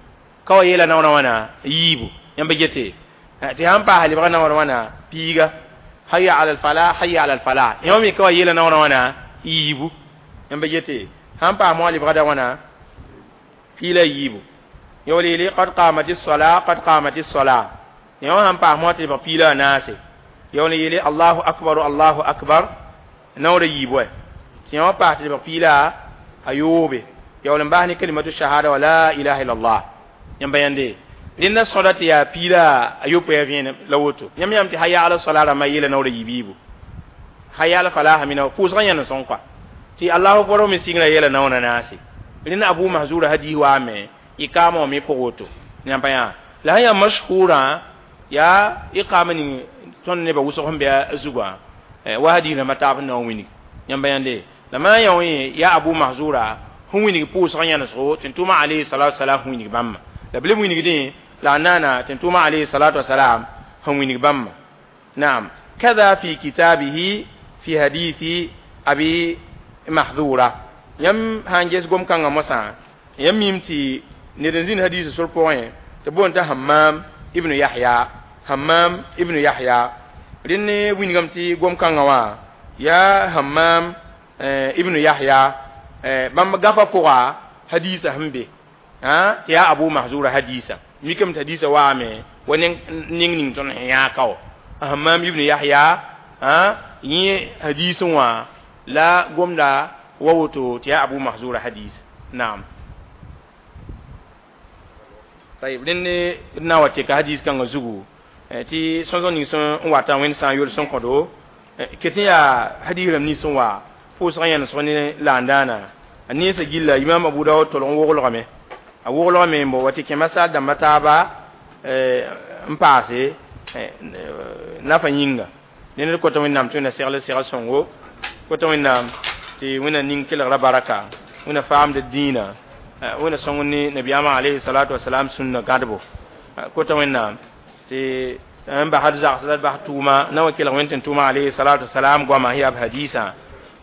ka wa yeela naoorã wãna yiibu yãmba gete tɩ sãn paas lebga naoor wãna piiga hayya ala alfalah hayya ala alfalah yã me ka wa yeela naoorã wãna yiibu yãmba gete sãn paas moa lebgda wãna piila yiibu yã wala yeele qad qamati sala qad qamati sala yã wã sãn paas moa tɩ lebg piila a naase ya wala yeele allahu akbar allahu akbar naoora yiibu wɛ tɩ yã wã paas tɩ lebg piila a yoobe ya wala n bas ne kalimatu shahada wa la ilaha illallah yãmba yãnde rẽnda sõda tɩ yaa piila a yopoe a vẽenem la woto yãmb yãmb tɩ haya ala sala rãmbã yeela naoora yiib-yiibu haya ala falaha mina pʋʋsgã yãne sõng kɔa tɩ allahu akbar me sɩngrã yeela naoora naase rẽnda abu mahzura hadis waame iqama wã me pʋg woto yãmba yã la sẽn yaa mashhurã yaa iqama ning tõnd nebã wʋsg sẽn be a zugã wa hadis rãmbã taab sẽn na n wilg yãmba yãnde la maa yã wã yaa abu mahzura sẽn wilg pʋʋsgã yãnesgo tɩ tʋma alayhi salatu wasalam sẽn wilg bãmba la b leb wilgdẽ la nana tɩ tʋma alayhi salatu wasalam sẽn wilg bãmba naam kada fi kitabihi fi hadithi abi mahdura yãmb sãn ges gom-kãngã mosã yãmb mim tɩ ned n zĩnd hadisa sor pʋgẽ tɩ boond t'a hammam ibnu yahya hammam ibnu yahya rẽnd ne wilgame tɩ gom-kãngã wã yaa hammam ibnu yahya bãmb gãpa pʋga hadisa sẽn be tɩ yaa abu mahzura hadisa mikame tɩ hadisa waame wa ning ning tõnd sẽn yãag ka wa hammam ibnu yahya yẽ hadisẽ wã la gomda wa woto tɩ yaa abu mahzura hadis naam طيب rẽnd na wa tɩka hadis kãngã zugu tɩ sõsg ning sẽn wata wẽnd sã n yol sẽn kõdo ket n yaa hadis rãmb nins sẽn wa pʋʋsgã yãnesg ne laandaana a nensã gilla imam abu daood tolg n woglgame a woglgame n bo wa tɩ kẽma sal dãmba taaba n paase nafa yĩnga ned kota wẽnnaam tɩ wẽnna segl segl sõngo kota wẽnnaam tɩ wẽnna ning kelgra baraka wẽnna faamd dĩinã wẽnna sõng ne nabiyaamã alayhi salatu wasalam sũnna gãdbo kota wẽnnaam tɩ n basd zags la d bas tʋʋma na wa kelg wẽnd tɩ tʋʋma alayhi salatu wasalam goama yaa b hadisã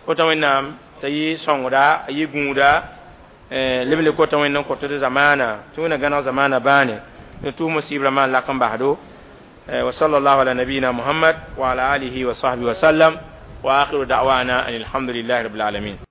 kota wẽnnaam t'a yɩ sõngda a yɩ gũuda leb le kota wẽnd n kõt d zamaana tɩ wẽnna gãneg zamaana bãane ne tʋʋm musibrã maan lak n basdo wa sallallahu ala nabiyina muhammad wa ala alihi wa sahbihi wa sallam wa akhiru da'wana an alhamdulillahi rabbil alamin.